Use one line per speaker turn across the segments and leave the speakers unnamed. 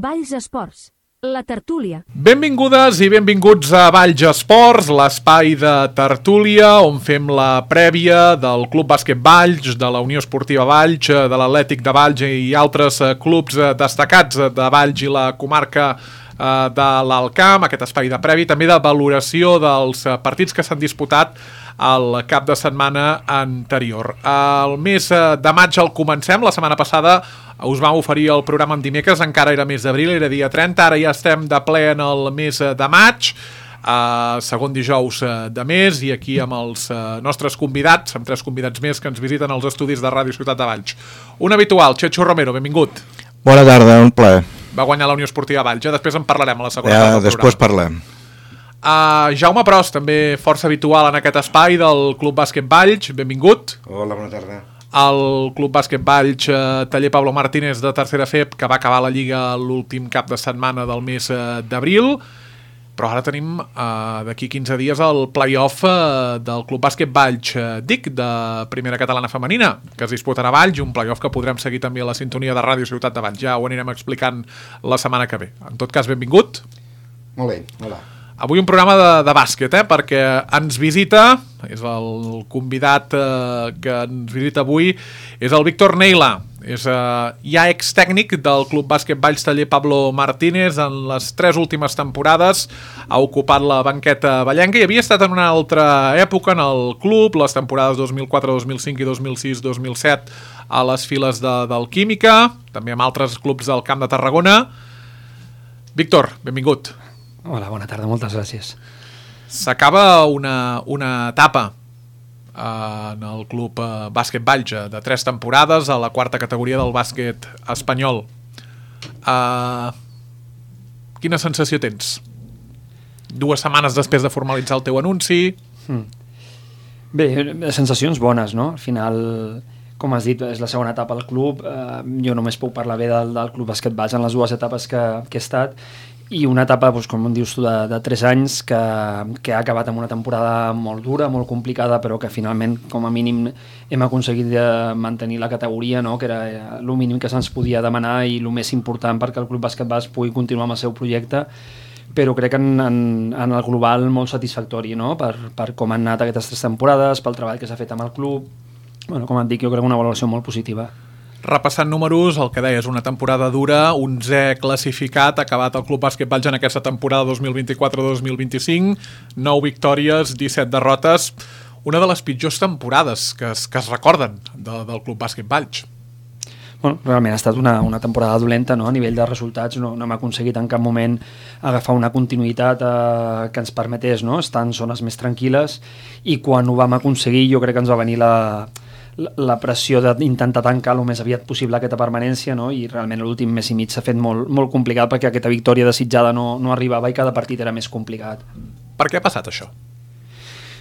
Valls Esports, la tertúlia.
Benvingudes i benvinguts a Valls Esports, l'espai de tertúlia on fem la prèvia del Club Bàsquet Valls, de la Unió Esportiva Valls, de l'Atlètic de Valls i altres clubs destacats de Valls i la comarca de l'Alt Camp, aquest espai de prèvia, també de valoració dels partits que s'han disputat el cap de setmana anterior. El mes de maig el comencem, la setmana passada us vam oferir el programa en dimecres, encara era mes d'abril, era dia 30, ara ja estem de ple en el mes de maig, segon dijous de mes, i aquí amb els nostres convidats, amb 3 convidats més que ens visiten als estudis de Ràdio Ciutat de Valls. Un habitual, Chechu Romero, benvingut.
Bona tarda, un plaer.
Va guanyar la Unió Esportiva Valls, després en parlarem a la segona part del programa.
Després parlem.
Jaume Pros, també força habitual en aquest espai del Club Bàsquet Valls, benvingut.
Hola, bona tarda.
El Club Bàsquet Valls, taller Pablo Martínez de tercera FEP, que va acabar la Lliga l'últim cap de setmana del mes d'abril, però ara tenim d'aquí 15 dies el play-off del Club Bàsquet Valls DIC de Primera Catalana Femenina, que es disputarà a Valls, un play-off que podrem seguir també a la sintonia de Ràdio Ciutat de Valls. Ja ho anirem explicant la setmana que ve. En tot cas, benvingut.
Molt bé, hola.
Avui un programa de bàsquet, perquè ens visita, és el convidat que ens visita avui, és el Víctor Neila, és ja ex-tècnic del Club Bàsquet Valls taller Pablo Martínez. En les 3 últimes temporades ha ocupat la banqueta vallenca i havia estat en una altra època en el club, les temporades 2004, 2005 i 2006, 2007 a les files del Química, també amb altres clubs del Camp de Tarragona. Víctor, benvingut.
Hola, bona tarda, moltes gràcies.
S'acaba una etapa en el Club Bàsquet Valls de 3 temporades a la 4a categoria del bàsquet espanyol. Quina sensació tens? 2 setmanes després de formalitzar el teu anunci.
Bé, sensacions bones, no? Al final, com has dit, és la segona etapa al club. Jo només puc parlar bé del Club Bàsquet Valls en les 2 etapes que he estat, i una etapa, com dius tu, de 3 anys que ha acabat amb una temporada molt dura, molt complicada, però que finalment, com a mínim, hem aconseguit mantenir la categoria, no? Que era el mínim que se'ns podia demanar i el més important perquè el Club Bàsquet Valls pugui continuar amb el seu projecte, però crec que en el global molt satisfactori, no? Per com han anat aquestes 3 temporades, pel treball que s'ha fet amb el club. Bueno, com et dic, jo crec una valoració molt positiva.
Repassant números, el que deies, una temporada dura, 11è classificat, ha acabat el Club Bàsquet Valls en aquesta temporada 2024-2025, 9 victòries, 17 derrotes, una de les pitjors temporades que es recorden del Club Bàsquet Valls.
Bueno, realment ha estat una temporada dolenta, no? A nivell de resultats no hem aconseguit en cap moment agafar una continuïtat que ens permetés, no? Estar en zones més tranquil·les, i quan ho vam aconseguir jo crec que ens va venir la pressió d'intentar tancar el més aviat possible aquesta permanència, no? I realment l'últim mes i mig s'ha fet molt, molt complicat perquè aquesta victòria desitjada no arribava i cada partit era més complicat.
Per què ha passat això?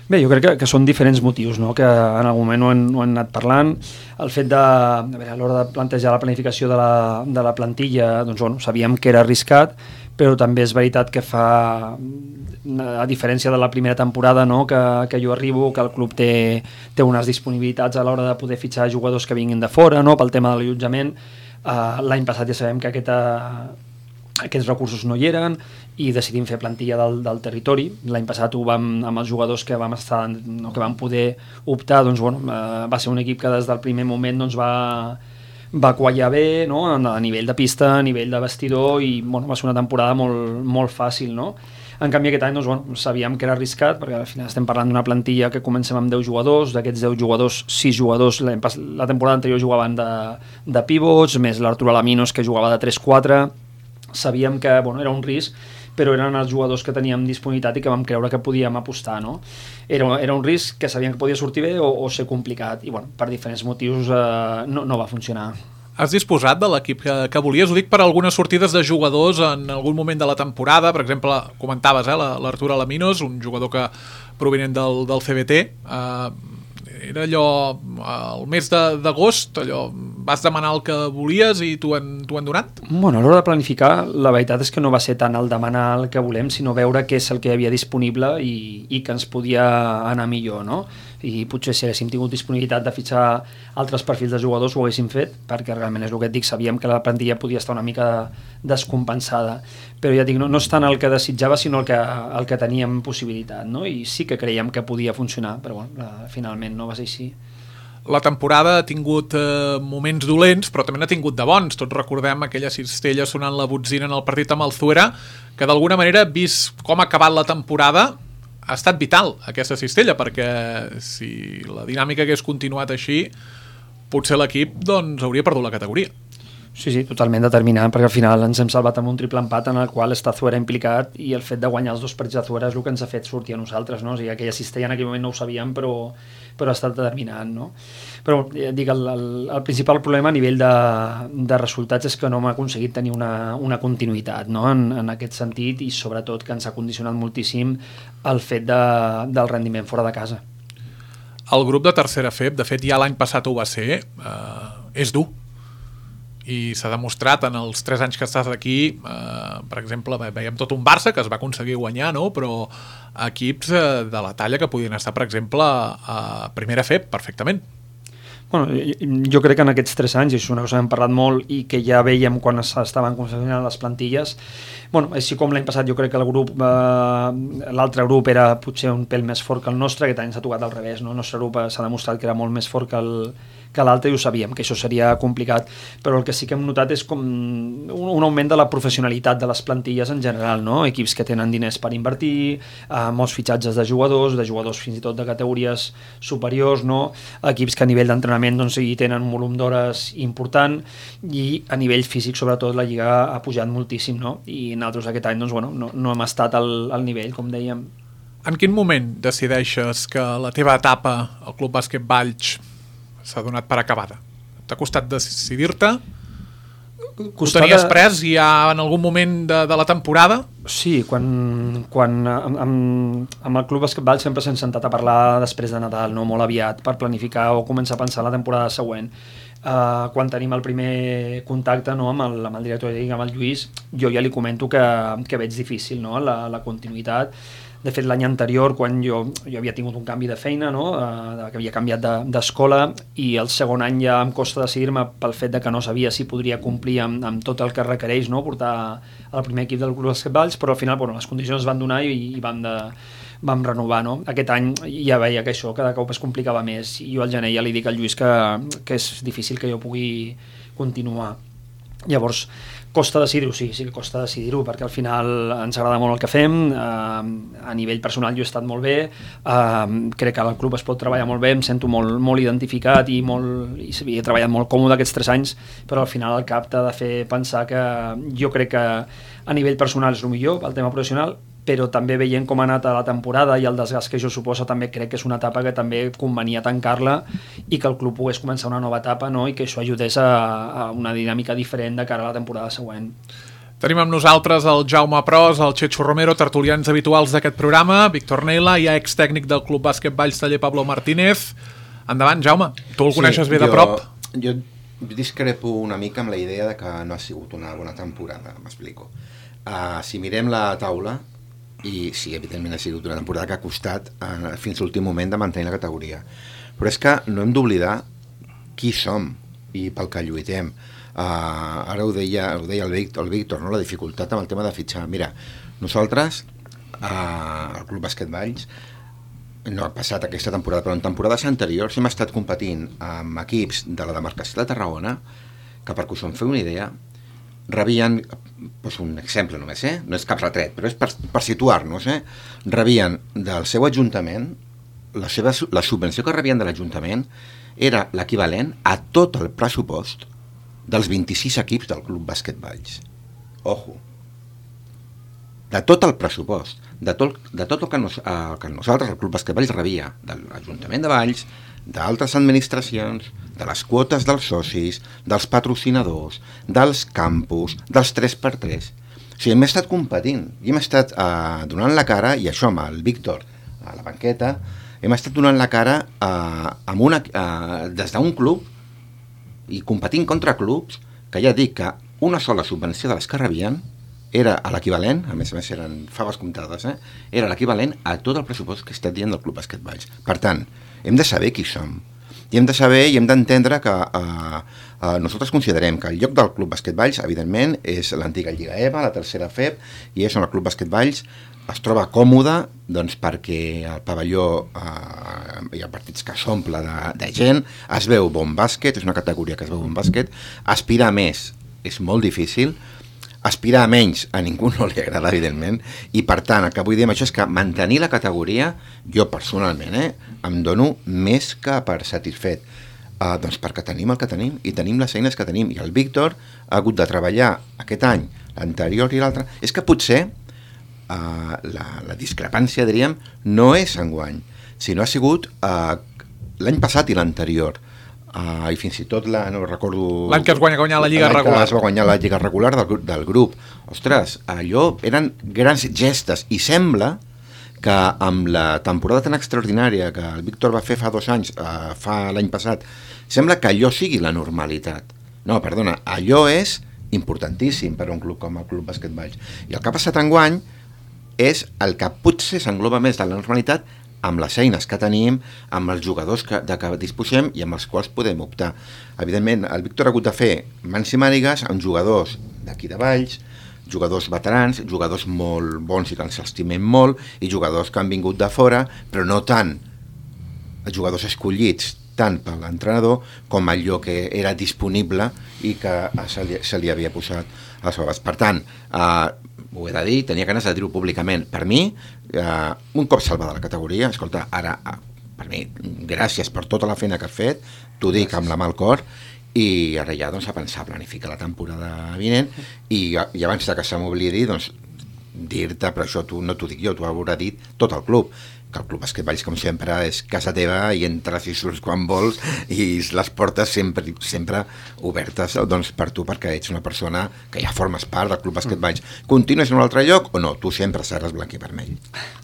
Bé, jo crec que són diferents motius, no? Que en algun moment ho hem anat parlant. El fet a l'hora de plantejar la planificació de la plantilla, doncs bueno, sabíem que era arriscat, però també és veritat que fa, a diferència de la primera temporada, no? que jo arribo, que el club té unes disponibilitats a l'hora de poder fitxar jugadors que vinguin de fora, no? Pel tema de l'allotjament. L'any passat ja sabem que aquests recursos no hi eren i decidim fer plantilla del territori. L'any passat amb els jugadors que vam estar, no, que vam poder optar, doncs, bueno, va ser un equip que des del primer moment doncs, va quallar bé, no? A nivell de pista, a nivell de vestidor, i bueno, va ser una temporada molt, molt fàcil, no? En canvi aquest any doncs, bueno, sabíem que era arriscat perquè al final estem parlant d'una plantilla que comencem amb 10 jugadors, d'aquests 10 jugadors 6 jugadors la temporada anterior jugaven de pivots, més l'Artur Alaminos que jugava de 3-4. Sabíem que bueno, era un risc, però eren els jugadors que teníem disponibilitat i que vam creure que podíem apostar, no? Era un risc que sabíem que podia sortir bé o ser complicat, i bueno, per diferents motius no va funcionar.
Has disposat de l'equip que volies? Ho dic per algunes sortides de jugadors en algun moment de la temporada. Per exemple, comentaves l'Artur Alaminos, un jugador que provinent del CBT. Era allò, el mes d'agost, allò, vas demanar el que volies i t'ho han donat?
Bueno, a l'hora de planificar, la veritat és que no va ser tant el demanar el que volem, sinó veure què és el que hi havia disponible i que ens podia anar millor, no? i potser si haguéssim tingut disponibilitat de fitxar altres perfils de jugadors ho haguéssim fet, perquè realment és el que et dic, sabíem que la plantilla podia estar una mica descompensada, però ja dic, no és tant el que desitjava sinó el que teníem possibilitat, no? I sí que creiem que podia funcionar, però bueno, finalment no va ser així.
La temporada ha tingut moments dolents, però també n'ha tingut de bons. Tots recordem aquella cistella sonant la botzina en el partit amb el Zuera, que d'alguna manera, vist com ha acabat la temporada, ha estat vital aquesta cistella, perquè si la dinàmica hagués continuat així, potser l'equip doncs, hauria perdut la categoria.
Sí, totalment determinant, perquè al final ens hem salvat amb un triple empat en el qual està Zuera implicat i el fet de guanyar els 2 partits de Zuera és el que ens ha fet sortir a nosaltres, no? O sigui, aquella cistella en aquell moment no ho sabíem, però ha estat determinant, no? Però dic, el principal problema a nivell de resultats és que no hem aconseguit tenir una continuïtat, no? En aquest sentit, i sobretot que ens ha condicionat moltíssim el fet del rendiment fora de casa.
El grup de tercera FEB, de fet ja l'any passat ho va ser, és dur, i s'ha demostrat en els 3 anys que estàs aquí, per exemple, veiem tot un Barça que es va aconseguir guanyar, no? Però equips de la talla que podien estar, per exemple, a primera FEB perfectament.
Bueno, jo crec que en aquests 3 anys, i és una cosa que hem parlat molt i que ja veiem quan estaven confeccionant les plantilles, bueno, així com l'any passat jo crec que el grup, l'altre grup era potser un pèl més fort que el nostre, aquest any s'ha tocat al revés, no? El nostre grup s'ha demostrat que era molt més fort que l'altre i ho sabíem, que això seria complicat, però el que sí que hem notat és com un augment de la professionalitat de les plantilles en general, no? Equips que tenen diners per invertir, molts fitxatges de jugadors fins i tot de categories superiors, no? Equips que a nivell d'entrenament doncs, hi tenen un volum d'hores important i a nivell físic sobretot la Lliga ha pujat moltíssim, no? I nosaltres aquest any doncs, bueno, no hem estat al nivell, com dèiem.
En quin moment decideixes que la teva etapa al Club Bàsquet Valls s'ha donat per acabada? T'ha costat decidir-te? Ho tenies pres ja en algun moment de la temporada?
Sí, quan amb el Club Bàsquet Valls sempre s'hem sentat a parlar després de Nadal, no? Molt aviat, per planificar o començar a pensar la temporada següent. Quan tenim el primer contacte, no, amb el director de Lliga, amb el Lluís, jo ja li comento que veig difícil, no, la continuïtat. De fet, l'any anterior, quan jo havia tingut un canvi de feina, no? Que havia canviat d'escola, i el segon any ja em costa decidir-me pel fet de que no sabia si podria complir amb tot el que requereix, no? Portar al primer equip del Club Bàsquet Valls, però al final les condicions es van donar i vam renovar, no? Aquest any ja veia que això cada cop es complicava més, i jo al gener ja li dic al Lluís que és difícil que jo pugui continuar. Llavors, costa decidir-ho, sí que costa decidir-ho, perquè al final ens agrada molt el que fem, a nivell personal jo he estat molt bé, crec que al club es pot treballar molt bé, em sento molt identificat i he treballat molt còmode aquests 3 anys, però al final el cap t'ha de fer pensar que jo crec que a nivell personal és el millor, el tema professional, però també veient com ha anat a la temporada i el desgast que això suposa, també crec que és una etapa que també convenia tancar-la i que el club pogués començar una nova etapa, no? I que això ajudés a una dinàmica diferent de cara a la temporada següent.
Tenim amb nosaltres el Jaume Pros, el Checho Romero, tertulians habituals d'aquest programa, Víctor Neila, ja ex-tècnic del Club Bàsquet Valls Taller Pablo Martínez. Endavant, Jaume, tu el coneixes bé de prop?
Jo discrepo una mica amb la idea de que no ha sigut una bona temporada, m'explico. Si mirem la taula, i sí, evidentment ha sigut una temporada que ha costat fins a l'últim moment de mantenir la categoria, però és que no hem d'oblidar qui som i pel que lluitem. Ara ho deia el Víctor, no? La dificultat amb el tema de fitxar. Mira, nosaltres al Club Bàsquet Valls no ha passat aquesta temporada, però en temporades anteriors hem estat competint amb equips de la demarcació de Tarragona que, perquè us en feu una idea, rebien, doncs un exemple només, no és cap retret, però és per situar-nos, rebien del seu ajuntament, la subvenció que rebien de l'Ajuntament era l'equivalent a tot el pressupost dels 26 equips del Club Bàsquet Valls. Ojo! De tot el pressupost, de tot el que nosaltres, el Club Bàsquet Valls, rebia de l'Ajuntament de Valls, d'altres administracions, de les quotes dels socis, dels patrocinadors, dels campus, dels 3x3. O sigui, hem estat competint i hem estat donant la cara, i això amb el Víctor a la banqueta, hem estat donant la cara des d'un club i competint contra clubs que ja dic que una sola subvenció de les que rebien era l'equivalent, a més eren faves comptades, era l'equivalent a tot el pressupost que està dient del Club Bàsquet Valls. Per tant, hem de saber qui som. I hem de saber i hem d'entendre que nosaltres considerem que el lloc del Club Bàsquet Valls, evidentment, és l'antiga Lliga EVA, la tercera FEB, i és on el Club Bàsquet Valls es troba còmode doncs, perquè el pavelló hi ha partits que s'omple de gent, es veu bon bàsquet, és una categoria que es veu bon bàsquet, aspirar a més és molt difícil, aspirar a menys a ningú no li agrada, evidentment, i per tant el que vull dir amb això és que mantenir la categoria, jo personalment, em dono més que per satisfet, doncs perquè tenim el que tenim i tenim les eines que tenim, i el Víctor ha hagut de treballar aquest any, l'anterior i l'altre, és que potser la discrepància, diríem, no és enguany, sinó ha sigut l'any passat i l'anterior, i fins i tot no recordo...
L'any que es va guanyar la Lliga regular.
Es va guanyar la Lliga regular del grup. Ostres, allò eren grans gestes, i sembla que amb la temporada tan extraordinària que el Víctor va fer fa 2 anys, fa l'any passat, sembla que allò sigui la normalitat. No, perdona, allò és importantíssim per a un club com el Club Bàsquet Valls. I el que ha passat enguany és el que potser s'engloba més de la normalitat amb les eines que tenim, amb els jugadors de què disposem i amb els quals podem optar. Evidentment, el Víctor ha hagut de fer mans i mànigues amb jugadors d'aquí de Valls, jugadors veterans, jugadors molt bons i que ens estimem molt, i jugadors que han vingut de fora, però no tant jugadors escollits tant per l'entrenador com allò que era disponible i que se li havia posat a les faves. Per tant, ho he de dir, tenia ganes de dir-ho públicament. Per mi, un cop salvada la categoria, escolta, ara, per mi, gràcies per tota la feina que has fet, t'ho dic amb la mà al cor, i ara ja doncs, a pensar, a planificar la temporada vinent, i abans que se m'oblidi, doncs, dir-te, però això no t'ho dic jo, t'ho haurà dit tot el club, que el Club Bàsquet Valls, com sempre, és casa teva i entres i surts quan vols i les portes sempre obertes doncs, per tu, perquè ets una persona que ja formes part del Club Bàsquet Valls. Continues en un altre lloc o no? Tu sempre seràs blanc i vermell.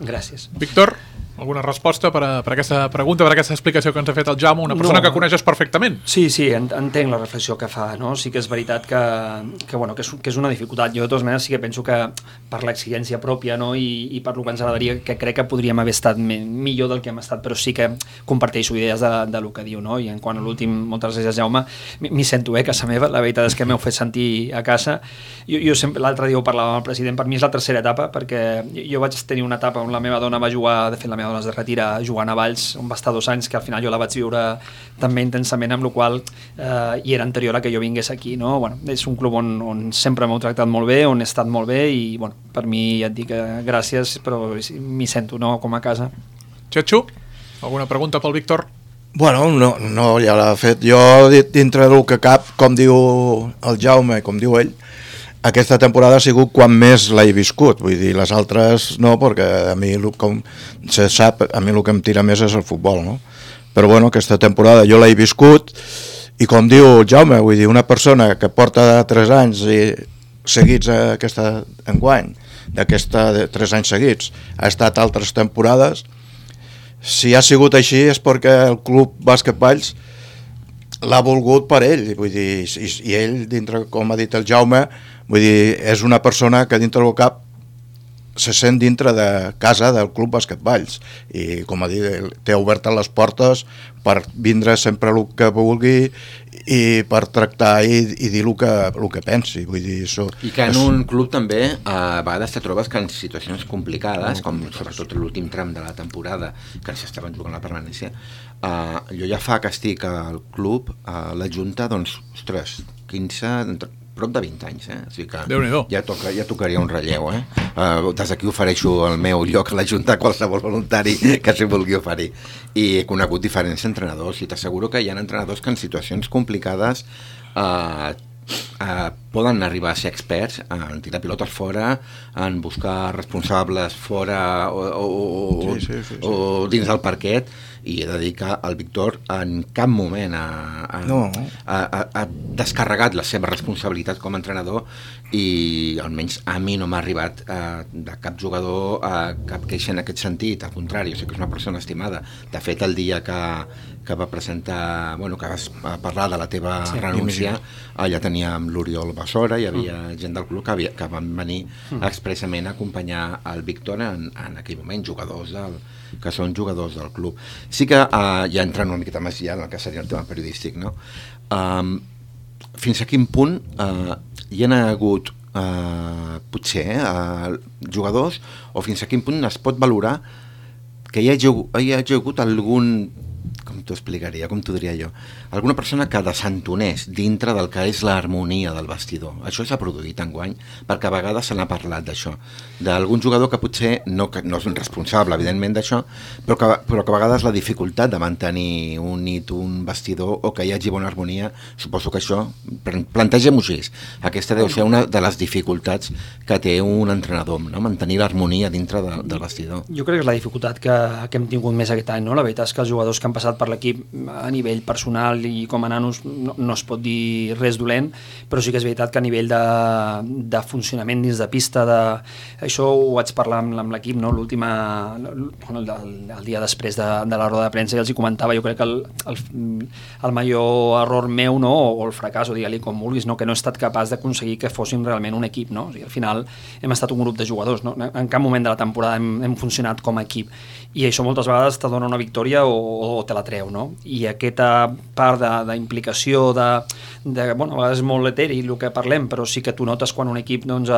Gràcies.
Víctor, alguna resposta per aquesta pregunta, per aquesta explicació que ens ha fet el Jaume, una persona que coneixes perfectament?
Sí, entenc la reflexió que fa, no? Sí que és veritat que és una dificultat. Jo, de totes maneres, sí que penso que per l'exigència pròpia, no? I per lo que ens agradaria, que crec que podríem haver estat millor del que hem estat, però sí que comparteixo idees de lo que diu, no? I en quant a l'últim, moltes gràcies, Jaume, m'hi sento a casa meva, la veritat és que m'heu fet sentir a casa. Jo sempre, l'altre dia ho parlava amb el president, per mi és la tercera etapa, perquè jo vaig tenir una etapa on la meva dona va jugar, de fet la meva dona es de retira jugant a Valls, on va estar 2 anys, que al final jo la vaig viure també intensament, amb la qual i era anterior a que jo vingués aquí, no? Bueno, és un club on sempre m'heu tractat molt bé, on he estat molt bé, i bueno, per mi ja et dic gràcies, però m'hi sento, no?, com a casa.
Xatxo, alguna pregunta pel Víctor?
Bueno, no ja l'ha fet. Jo, dintre del que cap, com diu el Jaume, com diu ell, aquesta temporada ha sigut quan més l'he viscut, vull dir, les altres no, perquè a mi, com se sap, a mi el que em tira més és el futbol, no? Però bueno, aquesta temporada jo l'he viscut, i com diu Jaume, vull dir, una persona que porta 3 anys seguits aquesta enguany, d'aquesta 3 anys seguits, ha estat altres temporades. Si ha sigut així és perquè el Club Bàsquet Valls l'ha volgut per ell, vull dir, i ell, dintre, com ha dit el Jaume, vull dir, és una persona que dintre del cap se sent dintre de casa del Club Bàsquet Valls, i com ha dit, té obertes les portes per vindre sempre el que vulgui i per tractar i dir el que pensi, vull dir, això.
I que en un club també a vegades te trobes que en situacions complicades, com sobretot l'últim tram de la temporada que s'estaven jugant la permanència, jo ja fa que estic al club, a la Junta, doncs, ostres, 15, prop de 20 anys, o sigui que ja tocaria un relleu, des d'aquí ofereixo el meu lloc a la Junta a qualsevol voluntari que s'hi vulgui oferir, i he conegut diferents entrenadors, i t'asseguro que hi ha entrenadors que en situacions complicades poden arribar a ser experts en tirar pilotes fora, en buscar responsables fora o dins del parquet, i he de dir que el Víctor en cap moment ha descarregat la seva responsabilitat com a entrenador, i almenys a mi no m'ha arribat de cap jugador cap queixa en aquest sentit, al contrari, o sigui que és una persona estimada. De fet, el dia que va presentar, que vas parlar de la teva renúncia, allà teníem l'Oriol professora, hi havia gent del club que van venir expressament a acompanyar el Víctor en aquell moment, que són jugadors del club. Sí que ja entrant una miqueta més ja en el que seria el tema periodístic, no? Fins a quin punt hi ha hagut potser jugadors, o fins a quin punt es pot valorar que hi hagi hagut algun, com t'ho explicaria, com t'ho diria jo, alguna persona que desentonés dintre del que és l'harmonia del vestidor. Això s'ha produït enguany, perquè a vegades se n'ha parlat d'això, d'algun jugador que potser no és responsable, evidentment, d'això, però que a vegades la dificultat de mantenir unit un vestidor o que hi hagi bona harmonia, suposo que això, plantegem-ho així, aquesta deu ser una de les dificultats que té un entrenador, no? Mantenir l'harmonia dintre del vestidor.
Jo crec que és la dificultat que hem tingut més aquest any, no? La veritat és que els jugadors que han passat per l'equip a nivell personal i com a nanos no es pot dir res dolent, però sí que és veritat que a nivell de funcionament dins de pista, això ho vaig parlar amb l'equip, no? El dia després de la roda de premsa, i els hi comentava, jo crec que el major error meu, no? O el fracàs, o digue-li com vulguis, no? Que no he estat capaç d'aconseguir que fóssim realment un equip, no? O sigui, al final hem estat un grup de jugadors, no? En cap moment de la temporada hem funcionat com a equip, i això moltes vegades te dona una victòria o te la treu, no? I aquesta part d'implicació, bueno, a vegades és molt eteri el que parlem, però sí que tu notes quan un equip doncs,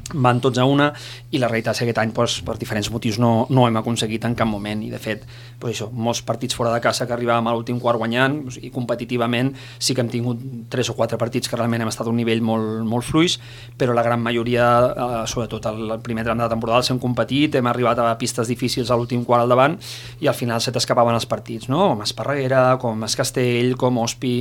van tots a una, i la realitat és que aquest any doncs, per diferents motius no hem aconseguit en cap moment, i de fet doncs això, molts partits fora de casa que arribàvem a l'últim quart guanyant, i competitivament sí que hem tingut 3 o 4 partits que realment hem estat a un nivell molt fluix, però la gran majoria, sobretot el primer tram de la temporada, els hem competit, hem arribat a pistes difícils a l'últim quart al davant, i al final se t'escapaven els partits, no? Com Esparreguera, com Escastell, com Ospi.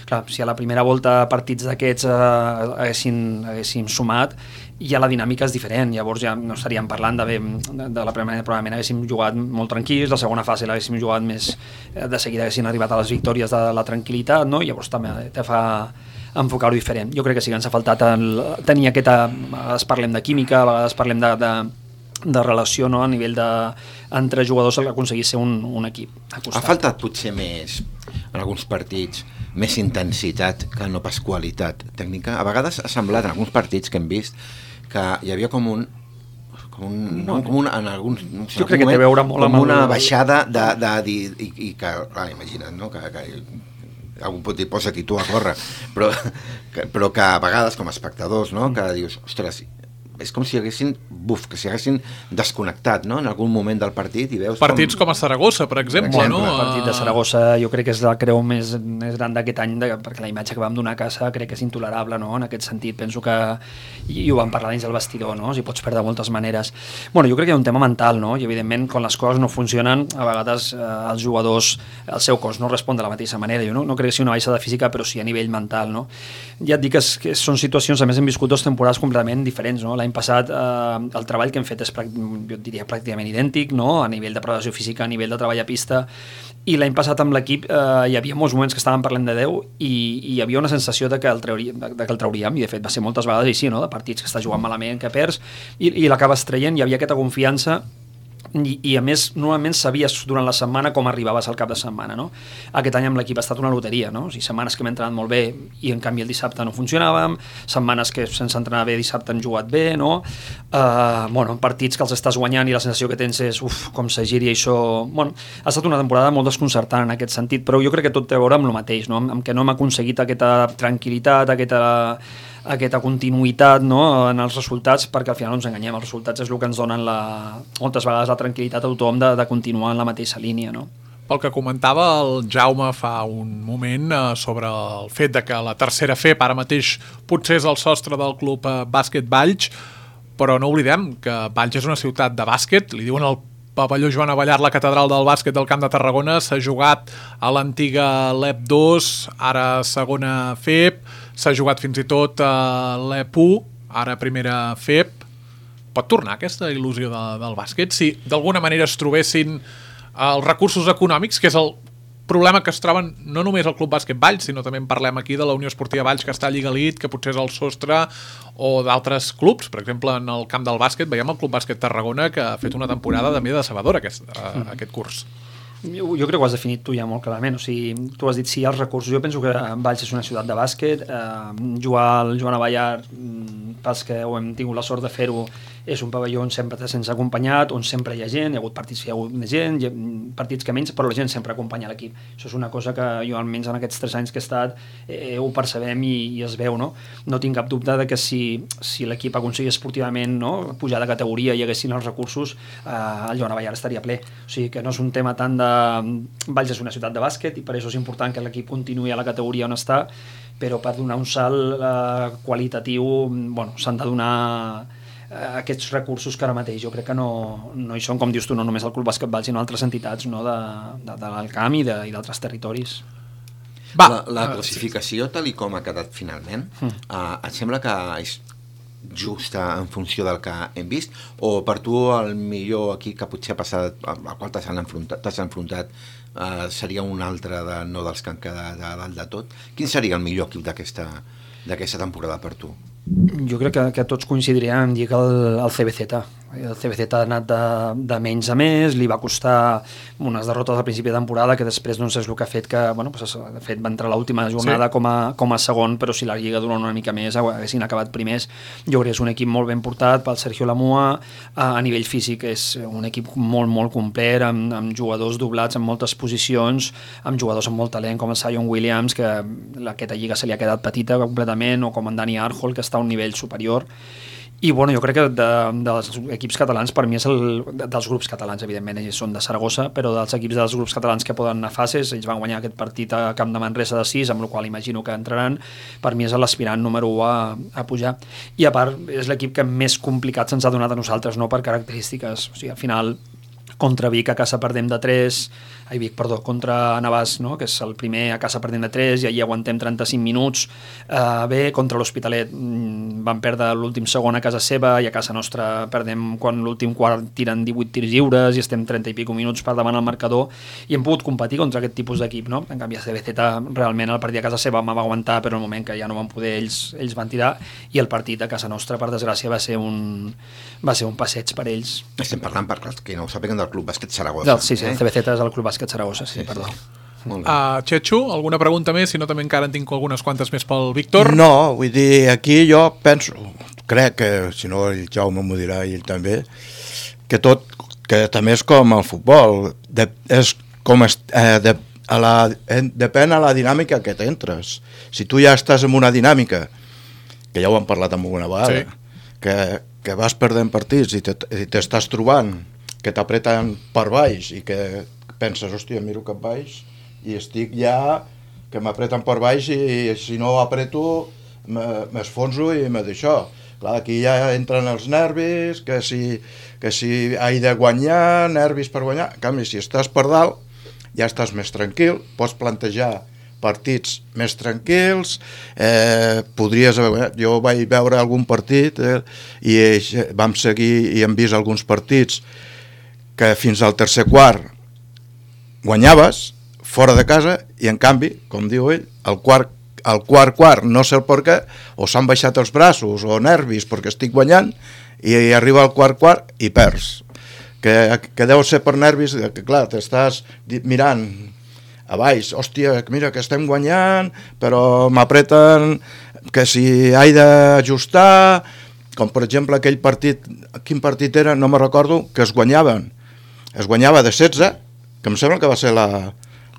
Clar, si a la primera volta partits d'aquests haguéssim sumat, ja la dinàmica és diferent, llavors ja no estaríem parlant de la primera, probablement haguéssim jugat molt tranquils, la segona fase l'haguéssim jugat més, de seguida haguessin arribat a les victòries de la tranquil·litat, no? I llavors també te fa enfocar-ho diferent. Jo crec que sí que ens ha faltat tenir aquesta, a vegades parlem de química, a vegades parlem de relació, no? A nivell entre jugadors, aconseguir ser un equip.
Ha faltat potser més, en alguns partits, més intensitat que no pas qualitat tècnica. A vegades ha semblat en alguns partits que hem vist que hi havia com en alguns, no sé,
jo crec que té a veure molt
com una baixada de dir, i que, clar, imagina't, no? Que algú pot dir, posa-t'hi tu a córrer, però que a vegades com a espectadors, no? Que dius, ostres, és com si haguessin desconnectat, no? En algun moment del partit, i veus
partits com a Saragossa, per exemple, no?
El partit de Saragossa jo crec que és la creu més gran d'aquest any, perquè la imatge que vam donar a casa crec que és intolerable, no? En aquest sentit penso que, i ho vam parlar dins del vestidor, no? Si pots perdre de moltes maneres. Bueno, jo crec que hi ha un tema mental, no? I evidentment quan les coses no funcionen, a vegades els jugadors, el seu cos no respon de la mateixa manera. Jo no crec que sigui una baixada física, però sí a nivell mental, no? Ja et dic que són situacions, a més hem viscut 2 temporades completament diferents, no? L'any passat el treball que hem fet és, jo diria, pràcticament idèntic, no? A nivell de preparació física, a nivell de treball a pista, i l'any passat amb l'equip hi havia molts moments que estàvem parlant de 10 i hi havia una sensació de que el trauríem, i de fet va ser moltes vegades així, no? De partits que estàs jugant malament, que perds, i l'acabes traient, hi havia aquesta confiança. I a més, normalment sabies durant la setmana com arribaves al cap de setmana, no? Aquest any amb l'equip ha estat una loteria, no? O sigui, setmanes que hem entrenat molt bé i en canvi el dissabte no funcionàvem, setmanes que sense entrenar bé dissabte han jugat bé, no? Bueno, partits que els estàs guanyant i la sensació que tens és com se giri això. Bueno, ha estat una temporada molt desconcertant en aquest sentit, però jo crec que tot té a veure amb el mateix, no? Amb que no hem aconseguit aquesta tranquil·litat, aquesta continuïtat, no? En els resultats, perquè al final no ens enganyem, els resultats és el que ens donen moltes vegades la tranquil·litat a tothom de continuar en la mateixa línia, no?
Pel que comentava el Jaume fa un moment sobre el fet de que la tercera FEP ara mateix potser és el sostre del club bàsquet Valls, però no oblidem que Valls és una ciutat de bàsquet, li diuen el pavelló Joan Avellar, la catedral del bàsquet del Camp de Tarragona, s'ha jugat a l'antiga LEP 2, ara segona FEP, s'ha jugat fins i tot a l'EP 1, ara primera FEP. Pot tornar aquesta il·lusió del bàsquet si d'alguna manera es trobessin els recursos econòmics, que és el problema que es troben no només al Club Bàsquet Valls, sinó també en parlem aquí de la Unió Esportiva Valls, que està a Lliga Elite, que potser és el sostre, o d'altres clubs. Per exemple, en el camp del bàsquet veiem el Club Bàsquet Tarragona, que ha fet una temporada també decebedora aquest curs.
Jo crec que ho has definit tu ja molt clarament. O sigui, tu has dit sí als recursos. Jo penso que Valls és una ciutat de bàsquet. Jugar al Joan Abellar, pels que ho hem tingut la sort de fer-ho, és un pavelló on sempre se'ns ha acompanyat, on sempre hi ha gent, hi ha hagut partits que hi ha hagut més gent, partits que menys, però la gent sempre acompanya l'equip. Això és una cosa que jo, almenys en aquests 3 anys que he estat, ho percebem i es veu, no? No tinc cap dubte de que si l'equip aconseguia esportivament, no, pujar de categoria i hi haguessin els recursos, el Joan Abellar estaria ple. O sigui que no és un tema tant de... Valls és una ciutat de bàsquet i per això és important que l'equip continuï a la categoria on està, però per donar un salt qualitatiu, bueno, s'han de donar aquests recursos que ara mateix jo crec que no hi són, com dius tu, no només el Club Bàsquet Valls, sinó altres entitats, no, de l'Alcamp i d'altres territoris.
La classificació, tal i com ha quedat finalment, et sembla que és justa en funció del que hem vist, o per tu el millor equip que potser ha passat, al qual t'has enfrontat, seria un altre no dels que han quedat a dalt de tot? Quin seria el millor equip d'aquesta temporada per tu?
Jo crec que tots coincidiríem en dir que el CBZ. El CBZ ha anat de menys a més, li va costar unes derrotes al principi de temporada que després no sé el que ha fet, que bueno, pues, de fet va entrar l'última jornada com a segon, però si la Lliga durant una mica més haguessin acabat primers. Jo crec que és un equip molt ben portat pel Sergio Lamua, a nivell físic és un equip molt, molt complet, amb jugadors doblats en moltes posicions, amb jugadors amb molt talent com el Zion Williams, que aquesta Lliga se li ha quedat petita completament, o com en Dani Arjol, que està a un nivell superior. I bueno, jo crec que dels equips catalans, per mi és dels grups catalans, evidentment, ells són de Saragossa, però dels equips dels grups catalans que poden anar a fases, ells van guanyar aquest partit a Camp de Manresa de 6, amb el qual imagino que entraran, per mi és l'aspirant número 1 a pujar. I a part, és l'equip que més complicat se'ns ha donat a nosaltres, no per característiques. O sigui, al final, contra Vic a casa perdem de 3, contra Navàs, no? Que és el primer a casa perdem de 3 i allí aguantem 35 minuts. Bé, contra l'Hospitalet van perdre l'últim segon a casa seva i a casa nostra perdem quan l'últim quart tiren 18 tirs lliures i estem 30 i pico minuts per davant al marcador i hem pogut competir contra aquest tipus d'equip, no? En canvi, a CBZ realment el partit a casa seva va aguantar, però en el moment que ja no van poder ells van tirar, i el partit a casa nostra, per desgràcia, va ser un passeig per ells.
Estem parlant, per que no ho sàpiguen, del Club Bàsquet Saragossa.
Sí, el CBZ és el Club Bàsquet Saragossa, sí, perdó.
Txetxo, alguna pregunta més? Si no, també encara en tinc algunes quantes més pel Víctor.
No, vull dir, aquí jo penso, crec que, si no el Jaume m'ho dirà i ell també, que també és com el futbol, depèn a la dinàmica que t'entres. Si tu ja estàs en una dinàmica, que ja ho hem parlat alguna vegada, que vas perdent partits i t'estàs trobant que t'apreten per baix i que penses, hòstia, miro cap baix i estic ja que m'apreten per baix i si no apreto m'esfonso i me d'això. Clar, aquí ja entren els nervis, que si he de guanyar, nervis per guanyar. En canvi, si estàs per dalt, ja estàs més tranquil, pots plantejar partits més tranquils, podries haver guanyat. Jo vaig veure algun partit i vam seguir i hem vist alguns partits que fins al tercer quart guanyaves fora de casa i en canvi, com diu ell, el quart no sé el per què, o s'han baixat els braços o nervis perquè estic guanyant i arriba al quart i perds. Que deu ser per nervis, que clar, t'estàs mirant a baix, hòstia, mira que estem guanyant, però m'apreten que si he d'ajustar, com per exemple aquell partit, quin partit era, no me recordo, que es guanyava de 16, que em sembla que va ser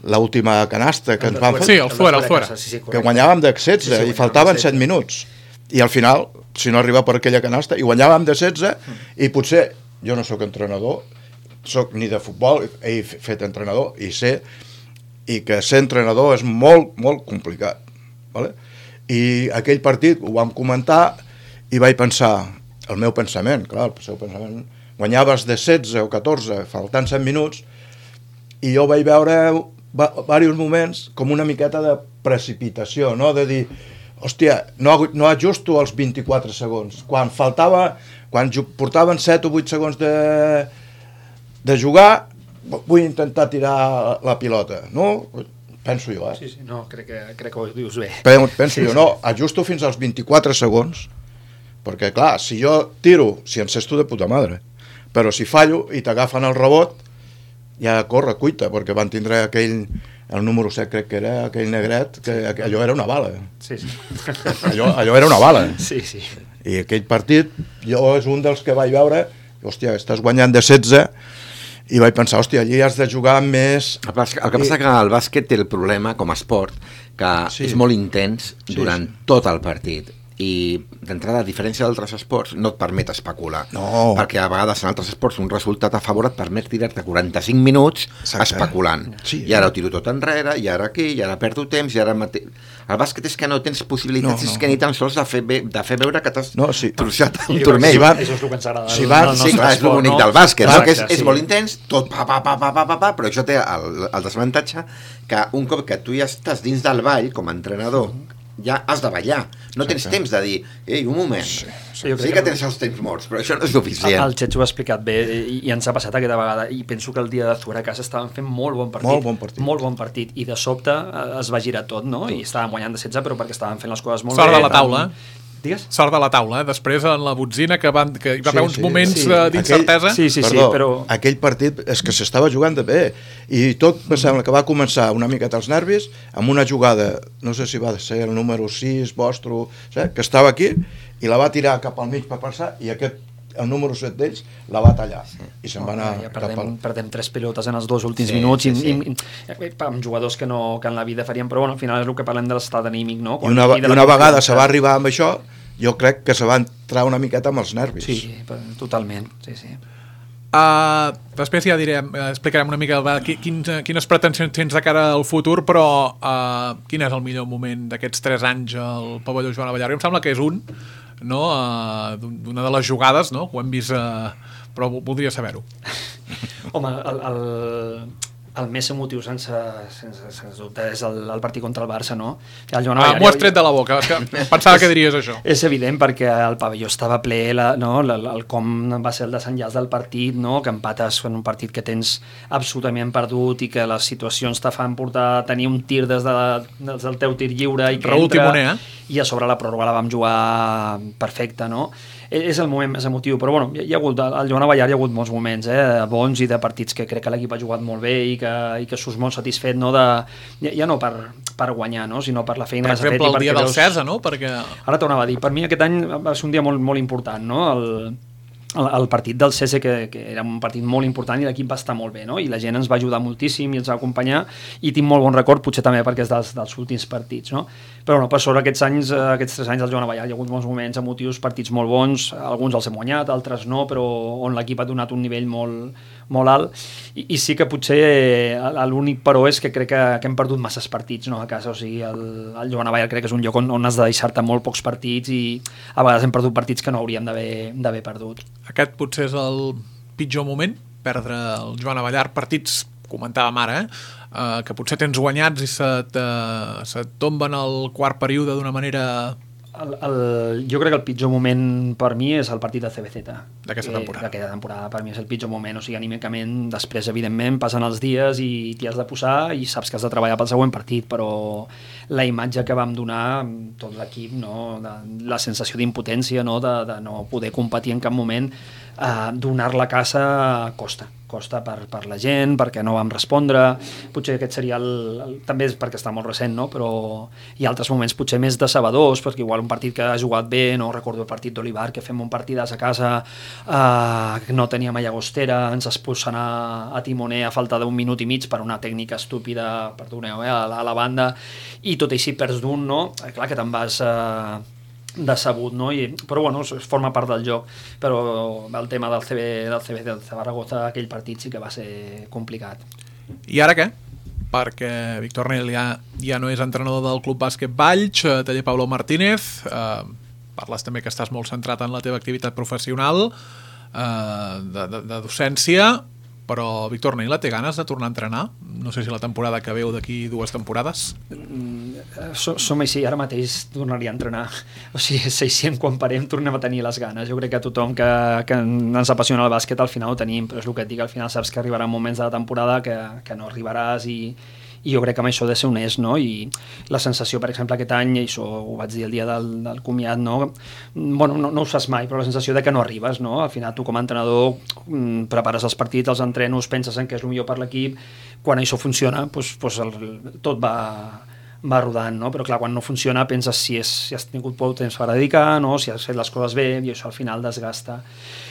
l'última canasta que ens van fer.
Sí, el fora.
Que guanyàvem de 16 i faltaven 7 minuts. I al final, si no arriba per aquella canasta, i guanyàvem de 16 i potser, jo no sóc entrenador, sóc ni de futbol, he fet entrenador i sé i que ser entrenador és molt, molt complicat. Vale? I aquell partit ho vam comentar i vaig pensar, el meu pensament, clar, el seu pensament, guanyaves de 16 o 14 faltant 7 minuts i jo vaig veure diversos moments com una miqueta de precipitació, no? De dir, hòstia, no ajusto els 24 segons. Quan portaven 7 o 8 segons de jugar, vull intentar tirar la pilota, no? Penso jo,
Sí, no, crec que ho dius bé.
Penso jo, no, ajusto fins als 24 segons, perquè clar, si jo tiro, si encesto de puta madre, però si fallo i t'agafen el rebot, ja corre cuita, perquè van tindre el número 7 crec que era, aquell negret, que allò era una bala.
Sí.
Allò era una bala.
Sí.
I aquell partit, jo és un dels que vaig veure, hòstia, estàs guanyant de 16, i vaig pensar, hòstia, allí has de jugar més...
El que passa que el bàsquet té el problema, com a esport, que és molt intens durant tot el partit. I d'entrada, a diferència d'altres esports, no et permet especular.
No.
Perquè a vegades en altres esports un resultat a favor et permet tirar-te 45 minuts especulant.
Sí.
I ara ho tiro tot enrere, i ara aquí, i ara perdo temps, i ara... El bàsquet és que no tens possibilitats, és que ni tan sols de fer veure que t'has torçat un turmell.
Això és el que ens agrada.
Sí, clar, és el bonic del bàsquet, no? Que és molt intens, tot però això té el desavantatge que un cop que tu ja estàs dins del ball, com a entrenador, ja has de ballar. No tens temps de dir, ei, un moment, sí que tens els temps morts, però això no és suficient.
El Xetxo ho ha explicat bé i ens ha passat aquesta vegada, i penso que el dia de Zuera a casa estaven fent molt bon partit, i de sobte es va girar tot, no? I estaven guanyant de 16, però perquè estaven fent les coses molt bé.
Sort de la taula,
Digues?
Sort de la taula, després en la botzina que hi va haver uns moments d'incertesa.
Perdó, però aquell partit és que s'estava jugant de bé, i tot me sembla que va començar una mica als nervis amb una jugada, no sé si va ser el número 6 vostre, que estava aquí i la va tirar cap al mig per passar, i el número 7 d'ells la va tallar i se'n va anar
perdem 3 pilotes en els 2 últims minuts amb jugadors que en la vida farien, però bueno, al final és el que parlem de l'estat anímic, no?
I una vegada se va arribar amb això, jo crec que se va entrar una miqueta amb els nervis.
Sí, totalment, sí.
Després ja explicarem una mica quines pretensions tens de cara al futur, però quin és el millor moment d'aquests 3 anys al pavelló Joan Abellar? Em sembla que és d'una de les jugades, no? Ho hem vist, però voldria saber-ho.
Home, el més emotiu sense dubte és el partit contra el Barça, no?
M'ho has tret de la boca, pensava que diries això.
És evident, perquè el pavelló estava ple, el com va ser el desenllaç del partit, no? Que empates en un partit que tens absolutament perdut i que les situacions te fan portar a tenir un tir des del teu tir lliure i que entra, i a sobre la pròrroga la vam jugar perfecta, no? És el moment més emotiu, però bueno, hi ha hagut, al Joan Abellar hi ha hagut molts moments bons i de partits que crec que l'equip ha jugat molt bé i que surts molt satisfet, no, ja no per guanyar, no, sinó per la feina que s'ha fet.
Per exemple, el dia del Cesa, no?
Ara t'ho anava a dir, per mi aquest any va ser un dia molt, molt important, no? El partit del CESE, que era un partit molt important i l'equip va estar molt bé, no? I la gent ens va ajudar moltíssim i ens va acompanyar, i tinc molt bon record, potser també perquè és dels últims partits, no? Però no, per sobre aquests 3 anys al Joan Abellar hi ha hagut molts moments emotius, partits molt bons, alguns els hem guanyat, altres no, però on l'equip ha donat un nivell molt alt, i sí que potser l'únic però és que crec que hem perdut masses partits, no, a casa. O sigui, el Joan Abellar crec que és un lloc on has de deixar-te molt pocs partits, i a vegades hem perdut partits que no hauríem d'haver perdut.
Aquest potser és el pitjor moment, perdre el Joan Abellar, partits, comentàvem ara, que potser tens guanyats i se't tomben al quart període d'una manera...
Jo crec que el pitjor moment per mi és el partit de CBZ
d'aquesta
temporada. Per mi és el pitjor moment, o sigui, anímicament, després evidentment passen els dies i t'hi has de posar i saps que has de treballar pel següent partit, però la imatge que vam donar tot l'equip, no? La sensació d'impotència, no? De no poder competir en cap moment, donar la casa costa per la gent, perquè no vam respondre. Potser aquest seria també és perquè està molt recent, no? Però hi ha altres moments potser més decebedors, perquè igual un partit que ha jugat bé, no recordo el partit d'Olivar, que fem un partidàs a casa, que no teníem a Llagostera, ens expulsen a Timoner a falta d'1 minut i mig per una tècnica estúpida, perdoneu, a la banda, i tot així perds d'un, no? Clar que te'n vas decebut, no? Però bueno, forma part del joc, però el tema del CB del Zaragoza, aquell partit sí que va ser complicat.
I ara què? Perquè Víctor Nel ja no és entrenador del Club Bàsquet Valls, taller Pablo Martínez, parles també que estàs molt centrat en la teva activitat professional, de docència, però Víctor Neila té ganes de tornar a entrenar? No sé si la temporada que veu d'aquí 2 temporades.
Som així, ara mateix tornaria a entrenar. O sigui, és així, quan parem tornem a tenir les ganes. Jo crec que tothom que ens apassiona el bàsquet al final ho tenim, però és el que et dic, al final saps que arribaran moments de la temporada que no arribaràs i i jo crec que amb això ha de ser honest, no? I la sensació, per exemple, aquest any, i això ho vaig dir el dia del comiat, no? Bueno, no ho saps mai, però la sensació de que no arribes, no? Al final tu com a entrenador prepares els partits, els entrenos, penses en què és el millor per l'equip, quan això funciona, doncs tot va rodant, no? Però clar, quan no funciona penses si has tingut prou temps per dedicar, no? Si has fet les coses bé, i això al final desgasta.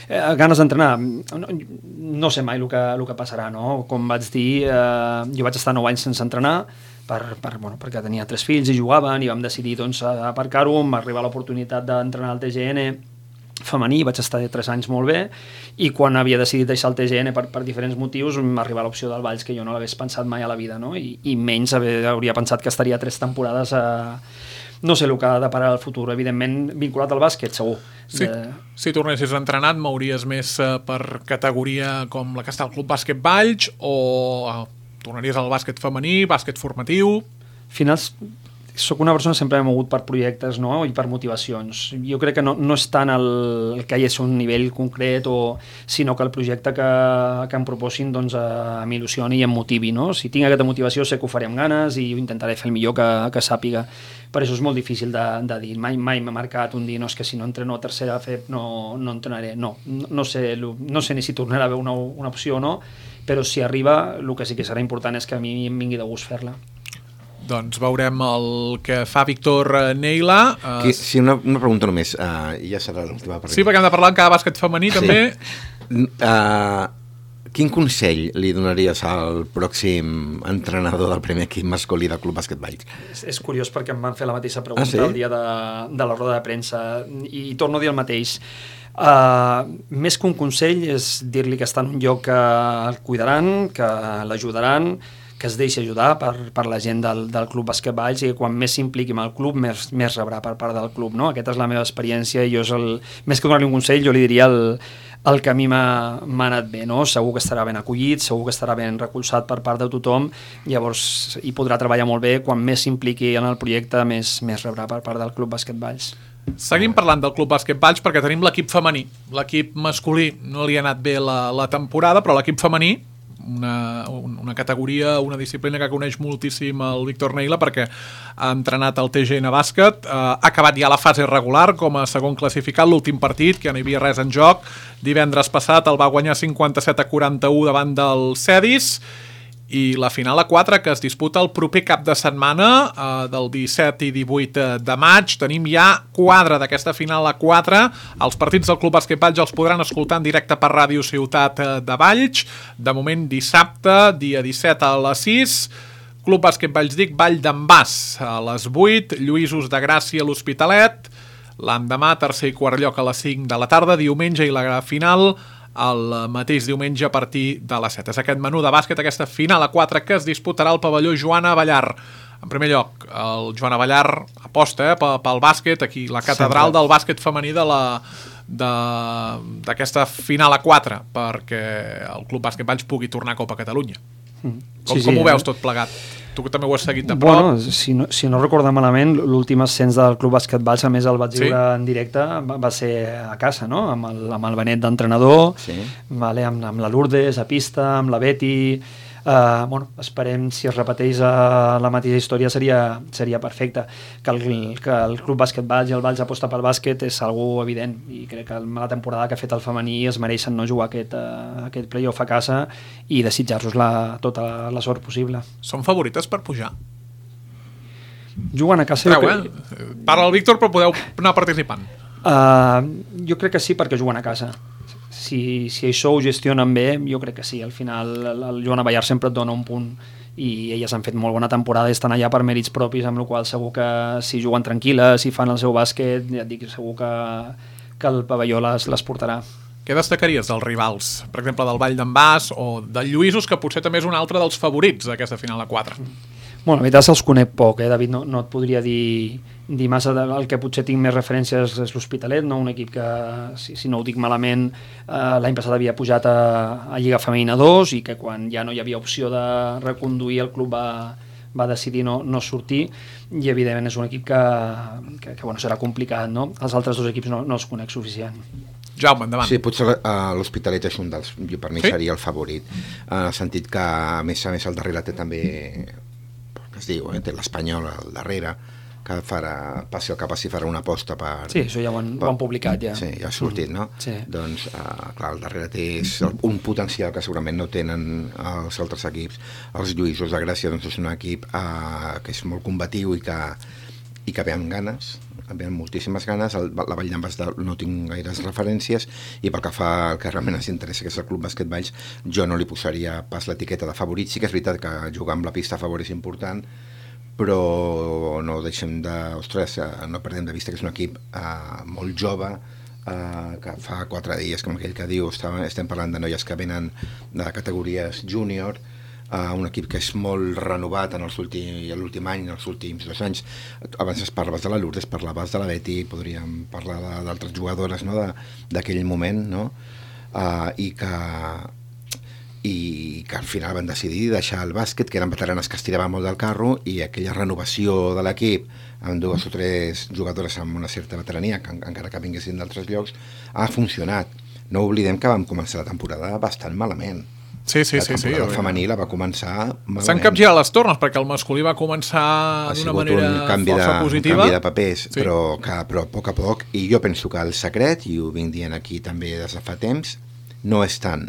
Ganes d'entrenar, no sé mai el que passarà, no? Com vaig dir, jo vaig estar 9 anys sense entrenar, perquè tenia 3 fills i jugaven, i vam decidir doncs, aparcar-ho, em va arribar l'oportunitat d'entrenar al TGN femení, vaig estar 3 anys molt bé, i quan havia decidit deixar el TGN per diferents motius m'arriba l'opció del Valls, que jo no l'hagués pensat mai a la vida, no? I menys hauria pensat que estaria 3 temporades no sé el que ha de parar el futur, evidentment vinculat al bàsquet, segur.
Sí. Si tornessis entrenat, mouries més per categoria com la que està al Club Bàsquet Valls, o tornaries al bàsquet femení, bàsquet formatiu? Finals...
Soc una persona que sempre m'he mogut per projectes, no? I per motivacions. Jo crec que no és tant el que hi és un nivell concret, sinó que el projecte que em proposin doncs, m'il·lusioni i em motivi. No? Si tinc aquesta motivació sé que ho faré amb ganes i intentaré fer el millor que sàpiga. Per això és molt difícil de dir. Mai m'ha marcat un dir no, és que si no entreno a tercera FEP no entrenaré. No sé ni si tornarà a haver una opció o no, però si arriba el que sí que serà important és que a mi em vingui de gust fer-la.
Doncs veurem el que fa Víctor Neila.
Sí, una pregunta només, ja serà l'última pregunta.
Sí, perquè hem de parlar en cada bàsquet femení, també.
Quin consell li donaries al pròxim entrenador del primer equip masculí del Club Bàsquet Valls?
És curiós perquè em van fer la mateixa pregunta el dia de la roda de premsa i torno a dir el mateix. Més que un consell és dir-li que està en un lloc que el cuidaran, que l'ajudaran, que es deixi ajudar per la gent del Club Bàsquet Valls, i que quan més s'impliqui amb el club més rebrà per part del club, no? Aquesta és la meva experiència, i més que donar-li un consell jo li diria el que a mi m'ha anat bé, no? Segur que estarà ben acollit, segur que estarà ben recolzat per part de tothom, llavors hi podrà treballar molt bé, quan més s'impliqui en el projecte més rebrà per part del Club Bàsquet Valls.
Seguim parlant del Club Bàsquet Valls perquè tenim l'equip femení. L'equip masculí no li ha anat bé la temporada, però l'equip femení, una categoria, una disciplina que coneix moltíssim el Víctor Neila perquè ha entrenat al TGN Bàsquet, ha acabat ja la fase regular com a segon classificat, l'últim partit, que ja no hi havia res en joc. Divendres passat el va guanyar 57-41 davant del Cedis, i la final a 4 que es disputa el proper cap de setmana, del 17 i 18 de maig. Tenim ja quadre d'aquesta final a 4. Els partits del Club Bàsquet Valls els podran escoltar en directe per Ràdio Ciutat de Valls. De moment dissabte, dia 17 a les 6. Club Bàsquet Valls Dic, Vall d'en Bas a les 8, Lluïsos de Gràcia a l'Hospitalet. L'endemà, tercer i quart lloc a les 5 de la tarda, diumenge, i la final el mateix diumenge a partir de les 7. És aquest menú de bàsquet, aquesta final a 4 que es disputarà al pavelló Joan Abellar. En primer lloc, el Joan Abellar aposta pel bàsquet, aquí la catedral del bàsquet femení d'aquesta final a 4, perquè el Club Bàsquet Valls pugui tornar a Copa Catalunya. Com ho veus tot plegat? Tu que també ho has seguit de prop.
Bueno, si no recordo malament, l'últim ascens del Club Bàsquet Valls, a més el vaig viure en directe, va ser a casa, no? Amb el Benet d'entrenador, amb la Lourdes a pista, amb la Betty. Esperem, si es repeteix la mateixa història seria perfecte. Que el Club Bàsquet Valls i el Valls aposta pel bàsquet és algo evident, i crec que la temporada que ha fet el femení es mereixen no jugar aquest playoff a casa, i desitjar-los tota la sort possible.
Són favorites per pujar?
Juguen a casa...
Parla el Víctor, però podeu anar participant.
Jo crec que sí, perquè juguen a casa. Si això ho gestionen bé, jo crec que sí. Al final el Joan Abellar sempre et dona un punt, i elles han fet molt bona temporada i estan allà per mèrits propis, amb la qual segur que si juguen tranquil·les, si fan el seu bàsquet, ja et dic, segur que el pavelló les portarà.
Què destacaries dels rivals? Per exemple, del Vall d'en Bas o del Lluïsos, que potser també és un altre dels favorits d'aquesta final a 4?
Bueno, la veritat se'ls conec poc, David, no et podria dir massa. El que potser tinc més referències és l'Hospitalet, no? Un equip que, si no ho dic malament, l'any passat havia pujat a Lliga Femenina 2, i que quan ja no hi havia opció de reconduir el club va decidir no sortir, i evidentment és un equip que serà complicat, no? Els altres dos equips no els conec suficient.
Jaume, endavant.
Sí, potser l'Hospitalet és un dels... Per mi seria el favorit, en el sentit que a més el darrere té també es diu, té l'Espanyol al darrere, que passi el que passi farà una aposta per...
Sí, això ja ho han publicat, ja.
Sí, ja ha sortit, no?
Sí.
Doncs, clar, al darrere té un potencial que segurament no tenen els altres equips. Els Lluïsos de Gràcia, doncs, és un equip que és molt combatiu i que ve amb ganes, ve amb moltíssimes ganes. La Vall d'en Bas no tinc gaires referències, i pel que fa al que realment ens interessa, que és el Club Bàsquet Valls, jo no li posaria pas l'etiqueta de favorit. Sí que és veritat que jugar amb la pista a favor és important, però no deixem no perdem de vista que és un equip molt jove, que fa 4 dies, com aquell que diu, estem parlant de noies que venen de categories júnior, un equip que és molt renovat en l'últim any, en els últims 2 anys. Abans parlaves de la Lourdes, parlaves de la Betty, podríem parlar d'altres jugadores, no? d'aquell moment, no? I que al final van decidir deixar el bàsquet, que eren veteranes que es tiraven molt del carro, i aquella renovació de l'equip amb 2 o 3 jugadores amb una certa veterania, que encara que vinguessin d'altres llocs, ha funcionat. No oblidem que vam començar la temporada bastant malament.
Sí.
La temporada femení la va començar malament.
S'han capgirat les tornes, perquè el masculí va començar d'una manera força positiva.
Un canvi de papers, sí. però a poc a poc, i jo penso que el secret, i ho vinc dient aquí també des de fa temps, no és tant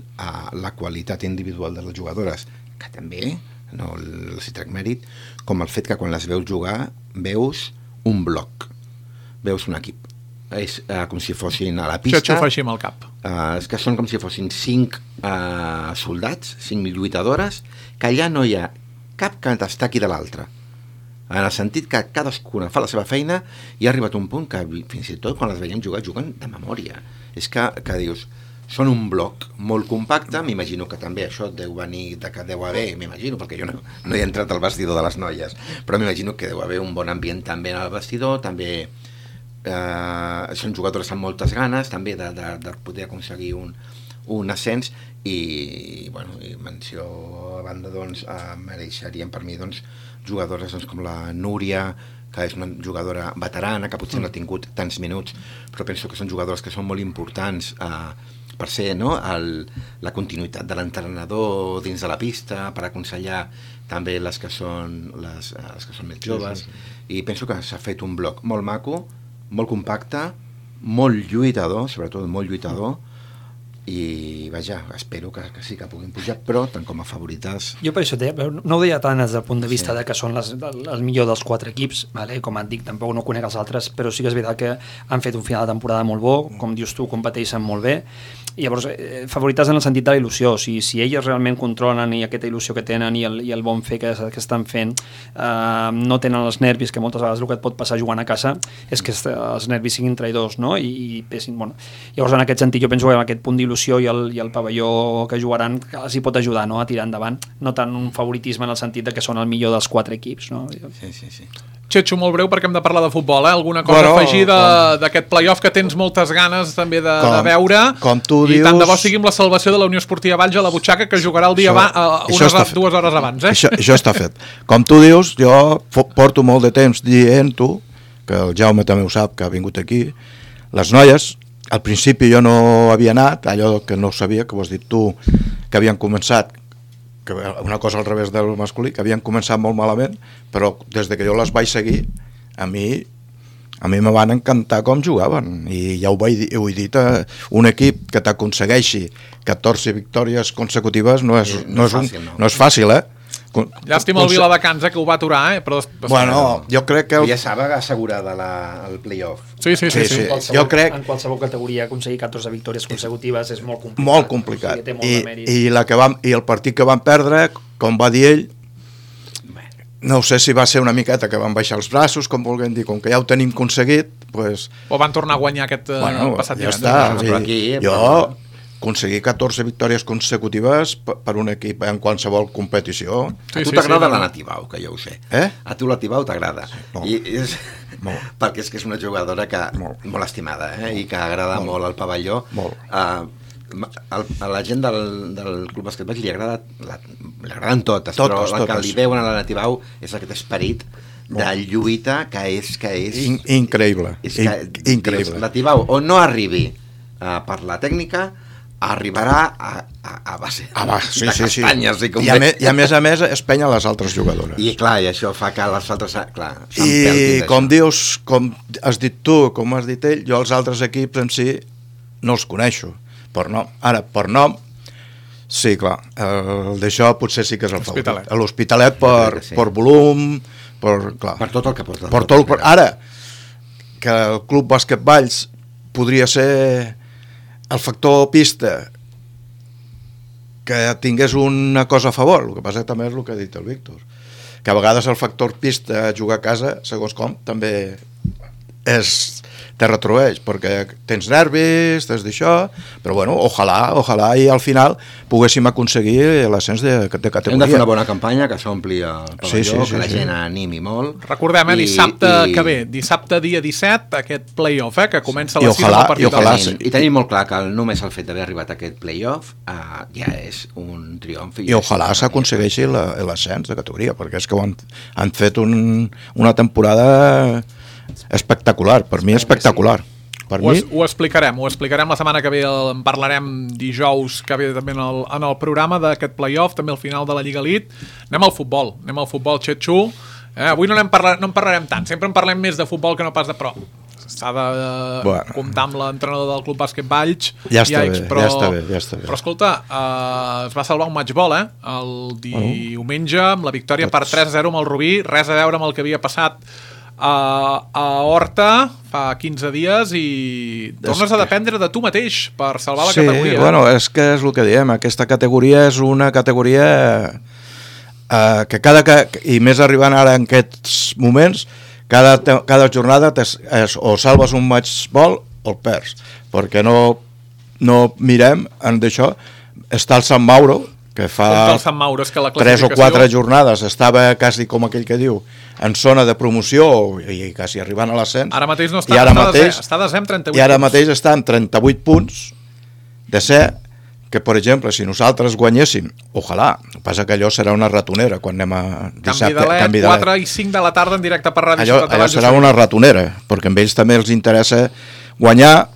la qualitat individual de les jugadores, que també, no els hi trec mèrit, com el fet que quan les veus jugar veus un bloc, veus un equip. És com si fossin a la pista...
Això xufa així amb el cap.
És que són com si fossin 5 soldats, 5 lluitadores, que allà no hi ha cap que destaqui de l'altre. En el sentit que cadascuna fa la seva feina, i ha arribat un punt que fins i tot quan les veiem jugar, juguen de memòria. És que dius... Són un bloc molt compacte, m'imagino que també això deu venir de que deu haver, m'imagino, perquè jo no he entrat al vestidor de les noies, però m'imagino que deu haver un bon ambient també en el vestidor, també són jugadores amb moltes ganes també de poder aconseguir un ascens, i menció a banda, doncs, mereixerien per mi, doncs, jugadores com la Núria, que és una jugadora veterana, que potser no ha tingut tants minuts, però penso que són jugadores que són molt importants per ser, no, la continuïtat de l'entrenador dins de la pista, per aconsellar també les que són més joves, i penso que s'ha fet un bloc molt maco, molt compacte, molt lluitador, sobretot molt lluitador, i vaja, espero que sí que puguin pujar, però tant com a favorites...
Jo per això no ho deia tant des del punt de vista de que són el millor dels 4 equips, vale? Com et dic, tampoc no conec els altres, però sí que és veritat que han fet un final de temporada molt bo, com dius tu, competeixen molt bé, i llavors favorites en el sentit de la il·lusió. Si elles realment controlen i aquesta il·lusió que tenen i el bon fer que estan fent, no tenen els nervis, que moltes vegades el que et pot passar jugant a casa és que els nervis siguin traïdors, no? I pesin, bueno. Llavors en aquest sentit jo penso que en aquest punt d'il·lusió i el pavelló que jugaran els hi pot ajudar, no? A tirar endavant, no tant un favoritisme en el sentit de que són el millor dels 4 equips, no?
Sí.
Txetxo, molt breu, perquè hem de parlar de futbol, Alguna cosa a afegir d'aquest play-off que tens moltes ganes també de veure,
com tu
i
dius...
tant de bo sigui amb la salvació de la Unió Esportiva Valls a la butxaca, que jugarà el dia 2 hores abans.
Això està fet. Com tu dius, jo porto molt de temps dient-ho, que el Jaume també ho sap, que ha vingut aquí, les noies, al principi jo no havia anat, allò que no sabia, que ho has dit tu, que havien començat, que una cosa al revés del masculí, que havien començat molt malament, però des de que jo les vaig seguir, a mi me van encantar com jugaven, i ja ho he dit, un equip que t'aconsegueixi 14 victòries consecutives no és fàcil,
Llàstima el Viladecans, que ho va aturar, però...
Bueno, jo crec que...
Ja estava assegurada el play-off.
Sí.
Jo crec... En qualsevol categoria aconseguir 14 victòries consecutives és molt complicat.
Molt complicat. O sigui, i el partit que van perdre, com va dir ell, no sé si va ser una miqueta que van baixar els braços, com vulguem dir, com que ja ho tenim aconseguit, pues...
O van tornar a guanyar aquest passat
ja està. Jo... aconseguir 14 victòries consecutives per un equip en qualsevol competició.
A tu t'agrada la Natibau, que jo ho sé. A tu la Natibau t'agrada. Perquè és que és una jugadora molt estimada, i que agrada molt al pavelló. A la gent del Club Bàsquet Valls li agraden totes, però el que li veuen a la Natibau és aquest esperit de lluita que és
increïble.
La Natibau o no arribi per la tècnica, arribarà a base
sí,
de castanyes.
Sí. I a més es penya les altres jugadores.
I clar, i això fa que les altres
i com dius, com has dit tu, com has dit ell, jo els altres equips en si no els coneixo per nom. Ara, per nom sí, clar, d'això potser sí que és el favorit. L'Hospitalet per volum, per
tot el que porta.
Ara, que el Club Bàsquet Valls podria ser el factor pista que tingués una cosa a favor, el que passa també és el que ha dit el Víctor, que a vegades el factor pista jugar a casa, segons com, també te retroeix, perquè tens nervis, tens d'això, però bueno, ojalà i al final poguéssim aconseguir l'ascens de categoria.
Hem de fer una bona campanya, que s'ompli el pavelló, que la gent animi molt.
Recordem, dissabte que ve, dissabte dia 17, aquest play-off, que comença a les 6 del partit.
I tenim molt clar que només el fet d'haver arribat a aquest play-off ja és un triomf.
I ojalà s'aconsegueixi l'ascens de categoria, perquè és que han fet una temporada espectacular, per mi espectacular.
Ho explicarem la setmana que ve, en parlarem dijous que ve també en el programa d'aquest play-off, també al final de la Lliga Elite. Anem al futbol, Xetxu. Avui no en parlarem tant, sempre en parlem més de futbol que no pas de pro. S'ha de comptar amb l'entrenador del Club Bàsquet Valls.
Ja està bé.
Però escolta, es va salvar un matchball, el diumenge, amb la victòria per 3-0 amb el Rubí, res a veure amb el que havia passat a Horta fa 15 dies i tornes a dependre de tu mateix per salvar la categoria.
Sí, bueno, és que és el que diem, aquesta categoria és una categoria que i més arribant ara en aquests moments, cada jornada o salves un matchball o el perds, perquè no mirem d'això. Està el Sant Mauro, que fa 3 o 4 jornades estava quasi, com aquell que diu, en zona de promoció i quasi arribant a l'ascens.
Ara mateix no està, està desè amb 38 punts.
I ara mateix està amb 38 punts de ser que, per exemple, si nosaltres guanyéssim, ojalà, passa que allò serà una ratonera quan anem a dissabte.
Canvi d'Alet, 4 i 5 de la tarda en directe per Ràdio Ciutat de Valls.
Allò serà una ratonera, perquè a ells també els interessa guanyar,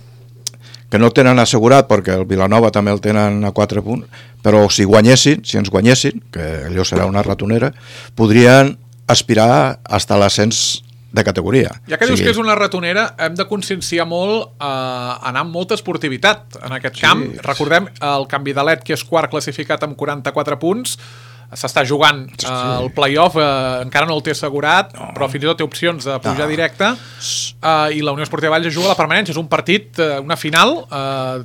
que no tenen assegurat perquè el Vilanova també el tenen a 4 punts, però si ens guanyessin, que allò serà una ratonera, podrien aspirar fins a l'ascens de categoria.
Ja que dius que és una ratonera, hem de conscienciar molt anar amb molta esportivitat en aquest camp. Recordem el Canvi d'Alet, que és quart classificat amb 44 punts, s'està jugant el play-off, encara no el té assegurat, però fins i tot té opcions de pujar directe, i la Unió Esportiva Valls juga a la permanència. És un partit, una final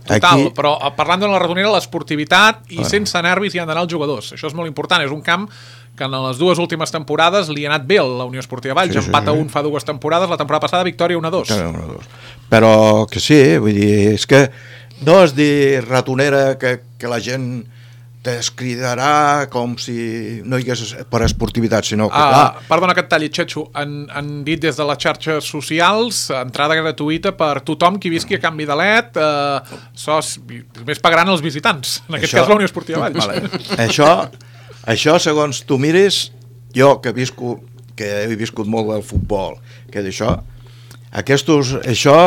total, però parlant de la ratonera, l'esportivitat i sense nervis hi han d'anar els jugadors. Això és molt important, és un camp que en les dues últimes temporades li ha anat bé a la Unió Esportiva Valls, empat a 1 fa 2 temporades, la temporada passada victòria 1-2.
Però que sí, vull dir, és que no és dir ratonera que la gent t'escridarà com si no hi hagués per esportivitat, sinó que
perdona que et talli, Xetxo, han dit des de les xarxes socials, entrada gratuïta per tothom qui visqui a Canvi d'Alet, només pagaran els visitants, en aquest cas la Unió Esportiva Valls.
Això, segons tu miris, jo que he viscut molt del futbol, que d'això, això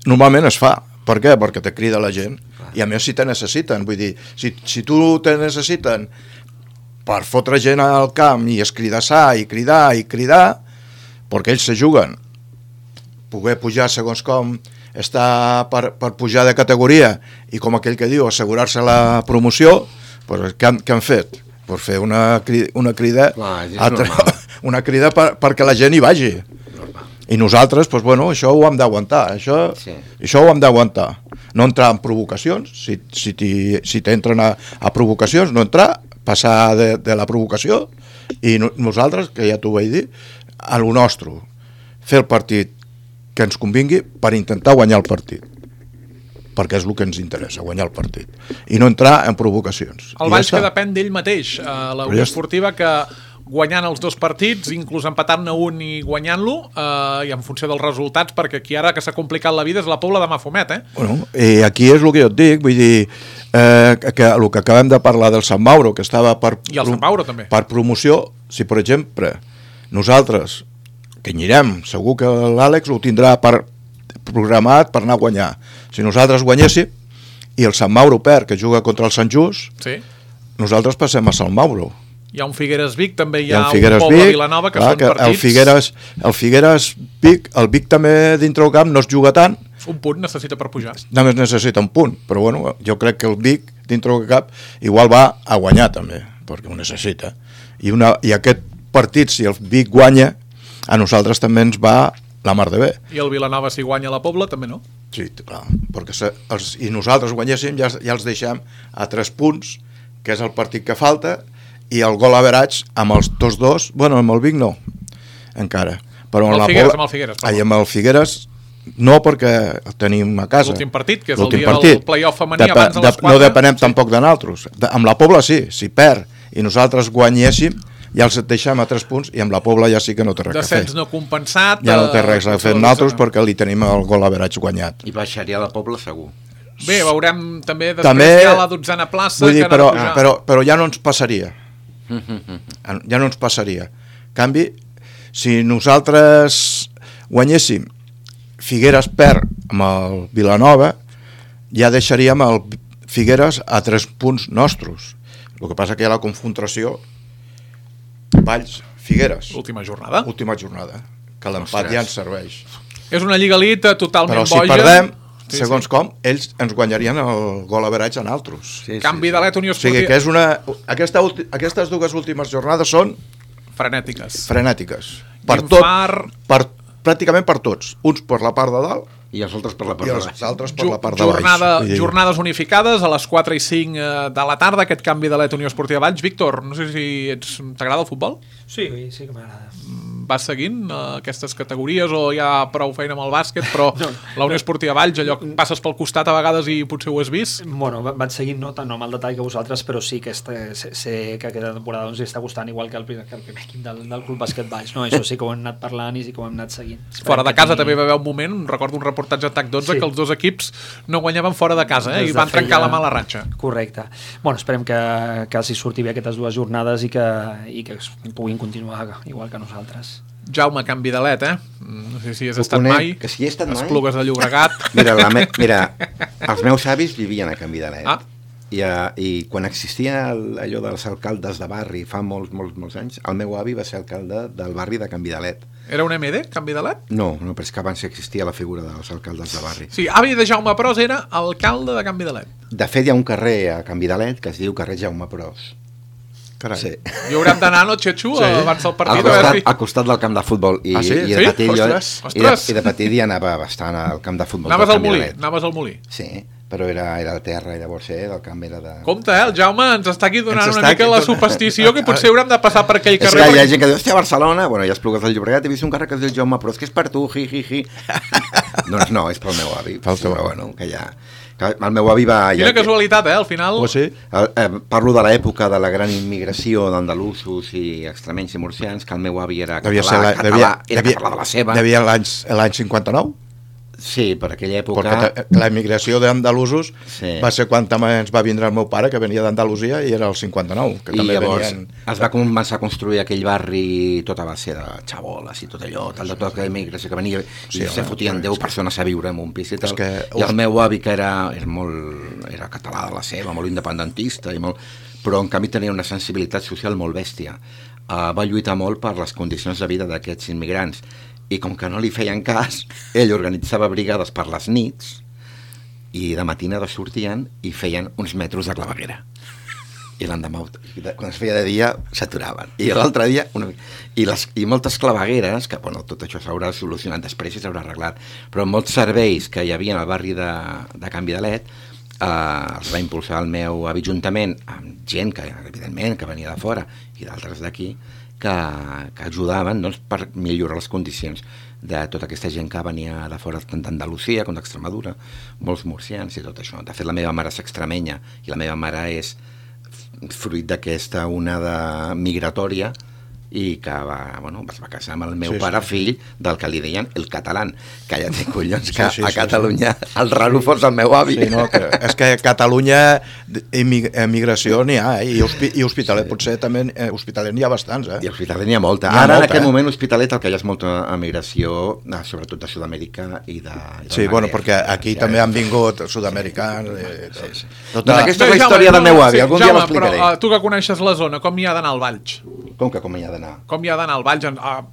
normalment es fa. Per què? Perquè te crida la gent, i a més si te necessiten, vull dir, si tu te necessiten per fotre gent al camp i escridassar i cridar, perquè ells se juguen, poder pujar segons com està per pujar de categoria i com aquell que diu, assegurar-se la promoció, doncs què han fet? Per fer una crida, una crida perquè la gent hi vagi. I nosaltres, doncs, bueno, això ho hem d'aguantar, això ho hem d'aguantar. No entrar en provocacions, si t'entren a provocacions, no entrar, passar de la provocació, i nosaltres, que ja t'ho vaig dir, a lo nostre, fer el partit que ens convingui per intentar guanyar el partit, perquè és el que ens interessa, guanyar el partit, i no entrar en provocacions.
El Valls que depèn d'ell mateix, la Unió Esportiva que guanyant els 2 partits, inclús empatant-ne un i guanyant-lo, i en funció dels resultats, perquè aquí ara que s'ha complicat la vida és la Pobla de Mafumet,
Bueno, i aquí és el que jo et dic, vull dir, que el que acabem de parlar del Sant Mauro, que estava per promoció, si per exemple nosaltres, que anirem, segur que l'Àlex ho tindrà programat per anar a guanyar. Si nosaltres guanyéssim i el Sant Mauro perd, que juga contra el Sant Just,
Sí.
nosaltres passem a Sant Mauro.
Hi ha un Figueres Vic, també hi ha un
Figueres
Pobla
Vic,
Vilanova, que
clar,
són partits...
el Figueres Vic, el Vic també dintre el camp no es juga tant,
Un punt necessita per pujar.
només necessita un punt, però bueno, jo crec que el Vic dintre el camp igual va a guanyar també, perquè ho necessita. I aquest partit, si el Vic guanya, a nosaltres també ens va la mar de bé.
I el Vilanova, si guanya la Pobla, també no.
Sí, clar, perquè i nosaltres guanyéssim, ja els deixem a 3 punts, que és el partit que falta, i el gol average amb els tots dos, bueno, amb el Vic no, encara. Però
Amb el Figueres, amb el Figueres, perdó.
amb el Figueres no, perquè el tenim a casa.
L'últim partit, que és el
L'últim
dia
partit.
del play-off femení abans de les 4.
No depenem tampoc de nosaltres. Amb la Pobla sí, si perd i nosaltres guanyéssim, ja els deixem a 3 punts, i amb la Pobla ja sí que no té res a fer.
Descens no compensat.
Ja no té res a fer nosaltres perquè li tenim el gol average guanyat.
I baixaria la Pobla segur.
Bé, veurem també després
També,
hi ha la 12a plaça
vull dir,
que ha de pujar.
però ja no ens passaria. Ja no ens passaria. En canvi, si nosaltres guanyéssim, Figueres perd amb el Vilanova, ja deixaríem el Figueres a 3 punts nostres. El que passa que hi ha la confrontació Valls-Figueres.
Última jornada.
Última jornada. Que l'empat ja ens serveix.
És una lliga elite totalment
Però si
boja.
perdem, segons com, ells ens guanyarien el gol average a nosaltres.
Canvi de l'Et Unió
O sigui
Esportiva.
que és aquestes dues últimes jornades són
Frenètiques.
frenètiques. Pràcticament per tots. Uns per la part de dalt
I els altres per la part
i
de
els
baix.
altres per la part de baix. Vull dir,
Jornades unificades a les 4 i 5 de la tarda, aquest canvi de l'Et Unió Esportiva Valls. Víctor, no sé si t'agrada el futbol?
Sí, sí que m'agrada.
Vas seguint aquestes categories o hi ha prou feina amb el bàsquet, però la Unió Esportiva Valls, allò que passes pel costat a vegades i potser ho has vist?
Bueno, vaig seguint no amb el detall que vosaltres, però sí que sé que aquesta temporada ens està costant igual que el primer equip del Club Bàsquet Valls, no? Això sí que ho hem anat parlant i sí que ho hem anat seguint.
Fora de casa també va haver un moment, recordo un reportatge a TAC 12, que els dos equips no guanyaven fora de casa, i van trencar la mala ratxa.
Correcte. Bueno, esperem que els hi surti bé aquestes dues jornades i que puguin continuar igual que nosaltres.
Jaume, canvi de l'Et, no sé si has estat mai.
Que si he estat mai.
Esplugues de Llobregat.
Mira, els meus avis vivien a Canvi de l'Et. I quan existia allò dels alcaldes de barri fa molts anys, el meu avi va ser alcalde del barri de Canvi de l'Et.
Era un MD, Canvi de l'Et?
No, però és que abans existia la figura dels alcaldes de barri.
Sí, avi de Jaume Pros era alcalde de Canvi de l'Et.
De fet, hi ha un carrer a Canvi de l'Et que es diu carrer Jaume Pros.
Carai.
Sí.
I haurem d'anar, no, Xetxu, abans del partit?
Al costat del camp de futbol. I de petit i de petit hi anava bastant al camp de futbol.
Anaves al Molí?
Sí, però era a terra i llavors el camp era de...
Compte, el Jaume ens està aquí donant una mica la superstició que potser haurem de passar per aquell carrer.
És que hi ha gent que diu, hòstia, a Barcelona, bueno, ja Esplugues del Llobregat, he vist un carrer que es diu Jaume Pros, que és per tu, hi. Doncs no, és pel meu avi. Però bueno, que ja... El meu avi va...
Quina casualitat, al final...
sí.
Parlo de l'època de la gran immigració d'andalusos i extremenys i murcians, que el meu avi era català, era català de la seva.
Devia l'any 59?
Sí, per aquella època...
Perquè la immigració d'andalusos va ser quan també ens va vindre el meu pare, que venia d'Andalusia, i era el 59. Que també
llavors es va començar a construir aquell barri tot a base de xaboles i tot allò, tota aquella immigració que venia, i se fotien 10 persones a viure en un pis i tal. I el meu avi, que era català de la seva, molt independentista, però en canvi tenia una sensibilitat social molt bèstia. Va lluitar molt per les condicions de vida d'aquests immigrants, i com que no li feien cas, ell organitzava brigades per les nits i de matinada sortien i feien uns metros de claveguera. I l'endemà, quan es feia de dia, s'aturaven. I l'altre dia... I moltes clavegueres, que bueno, tot això s'haurà solucionat després i s'haurà arreglat, però molts serveis que hi havia al barri de Canvi de l'Et els va impulsar el meu ajuntament amb gent que, evidentment, que venia de fora i d'altres d'aquí, que ajudaven per millorar les condicions de tota aquesta gent que venia de fora, tant d'Andalusia com d'Extremadura, molts murcians i tot això. De fet, la meva mare és extremenya i la meva mare és fruit d'aquesta onada migratòria i que es va casar amb el meu pare fill del que li deien el català, que ja té collons que a Catalunya el raro fos el meu avi.
Sí, no, és que a Catalunya emigració n'hi ha, i Hospitalet potser també, Hospitalet n'hi ha bastants. I
Hospitalet n'hi ha molta. Ara en aquest moment Hospitalet el que hi ha és molta emigració, sobretot de Sud-amèrica i de...
Sí, bueno, perquè aquí també han vingut sud-americans.
Doncs aquesta és la història del meu avi, algun dia l'explicaré.
Però tu que coneixes la zona, com hi ha d'anar al Valls?
Com hi ha d'anar?
Com hi ha d'anar al Valls?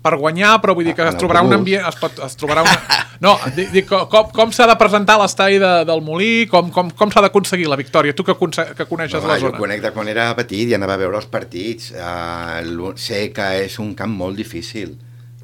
Per guanyar, però vull dir que es trobarà un ambient... Es trobarà una... No, dic, com s'ha de presentar l'estadi del Molí? Com s'ha d'aconseguir la victòria? Tu que coneixes la zona.
Jo conec de quan era petit i anava a veure els partits. Sé que és un camp molt difícil.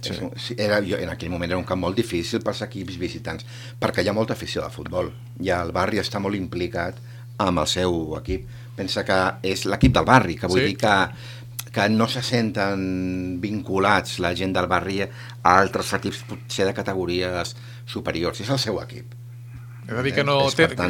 En aquell moment era un camp molt difícil pels equips visitants, perquè hi ha molta afició de futbol. I el barri està molt implicat amb el seu equip. Pensa que és l'equip del barri, que vull dir que no se senten vinculats la gent del barri a altres equips potser de categories superiors. És el seu equip.
És a dir, que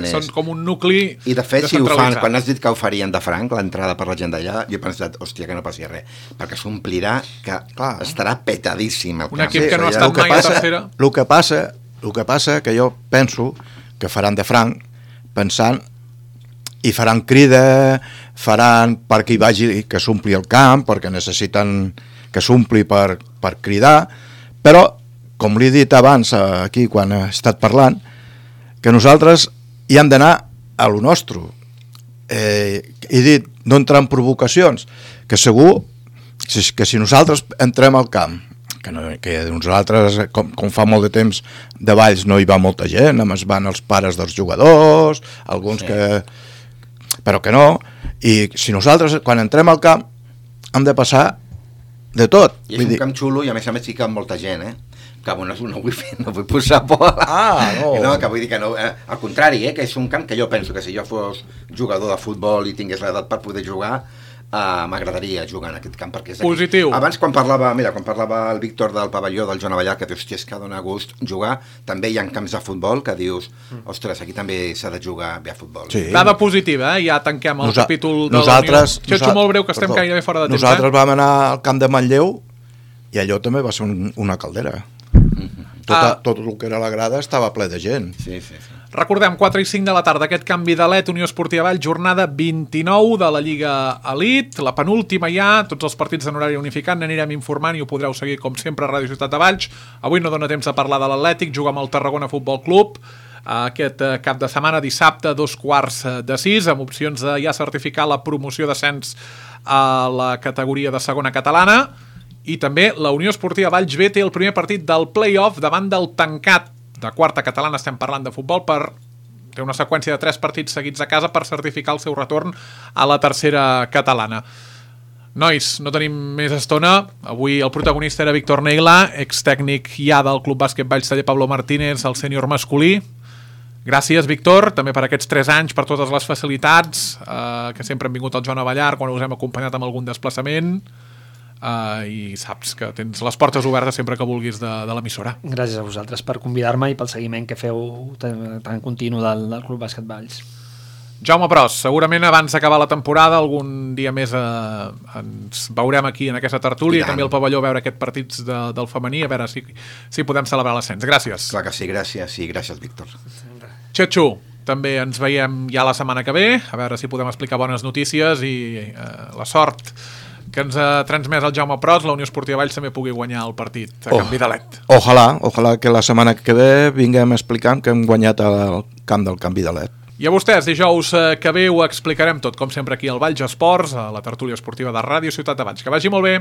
són com un nucli
i de fet, si ho fan, quan has dit que ho farien de franc, l'entrada per la gent d'allà, jo he pensat, hòstia, que no passi res, perquè s'omplirà, que estarà petadíssim el camp.
Un equip que no ha estat mai a tercera.
El que passa que jo penso que faran de franc pensant i faran crida, faran perquè hi vagi, que s'ompli el camp, perquè necessiten que s'ompli per cridar, però, com li he dit abans aquí quan he estat parlant, que nosaltres hi hem d'anar a lo nostre. He dit, no entrar en provocacions, que segur que si nosaltres entrem al camp, que nosaltres, com fa molt de temps de Valls no hi va molta gent, només van els pares dels jugadors, alguns però que no, i si nosaltres quan entrem al camp hem de passar de tot.
I és un camp xulo i a més sí que amb molta gent, que no vull posar por. No, que vull dir que no, al contrari, que és un camp que jo penso que si jo fos jugador de futbol i tingués l'edat per poder jugar, m'agradaria jugar en aquest camp, perquè és
positiu.
Abans quan parlava el Víctor del pavelló del Joan Avellà, que dius, hòstia, és que dona gust jugar, també hi ha camps de futbol que dius, ostres, aquí també s'ha de jugar bé a futbol.
Dada positiva, ja tanquem el capítol de la Unió. Xetxo, molt breu, que estem gairebé fora de temps.
Nosaltres vam anar al camp de Manlleu i allò també va ser una caldera. Tot el que era la grada estava ple de gent.
Sí.
Recordem, 4 i 5 de la tarda, aquest canvi d'Alet, Unió Esportiva Valls, jornada 29 de la Lliga Elite, la penúltima ja, tots els partits en horari unificat, n'anirem informant i ho podreu seguir com sempre a Ràdio Ciutat de Valls. Avui no dona temps de parlar de l'Atlètic, juga amb el Tarragona Futbol Club, aquest cap de setmana, dissabte, 5:45, amb opcions de ja certificar la promoció d'ascens a la categoria de segona catalana, i també la Unió Esportiva Valls B té el primer partit del play-off davant del tancat de quarta catalana, estem parlant de futbol, té una seqüència de 3 partits seguits a casa per certificar el seu retorn a la tercera catalana. Nois, no tenim més estona. Avui el protagonista era Víctor Neila, extècnic ja del Club Bàsquet Valls Taller Pablo Martínez, el sènior masculí. Gràcies, Víctor, també per aquests 3 anys, per totes les facilitats que sempre han vingut al Joan Avellar quan us hem acompanyat amb algun desplaçament. I saps que tens les portes obertes sempre que vulguis de l'emissora.
Gràcies a vosaltres per convidar-me i pel seguiment que feu tan continu del Club Bàsquet Valls.
Jaume Pros, segurament abans d'acabar la temporada algun dia més ens veurem aquí en aquesta tertúlia i també al pavelló a veure aquests partits del femení, a veure si podem celebrar l'ascens. Gràcies.
Clar que sí, gràcies Víctor.
Xetxo, també ens veiem ja la setmana que ve, a veure si podem explicar bones notícies i la sort que ens ha transmès el Jaume Pros, la Unió Esportiva Valls també pugui guanyar el partit a Canvi d'Alet.
Ojalà que la setmana que ve vinguem explicant que hem guanyat el camp del Canvi d'Alet.
I a vostès, dijous que ve ho explicarem tot, com sempre aquí al Valls Esports, a la tertúlia esportiva de Ràdio Ciutat de Valls. Que vagi molt bé!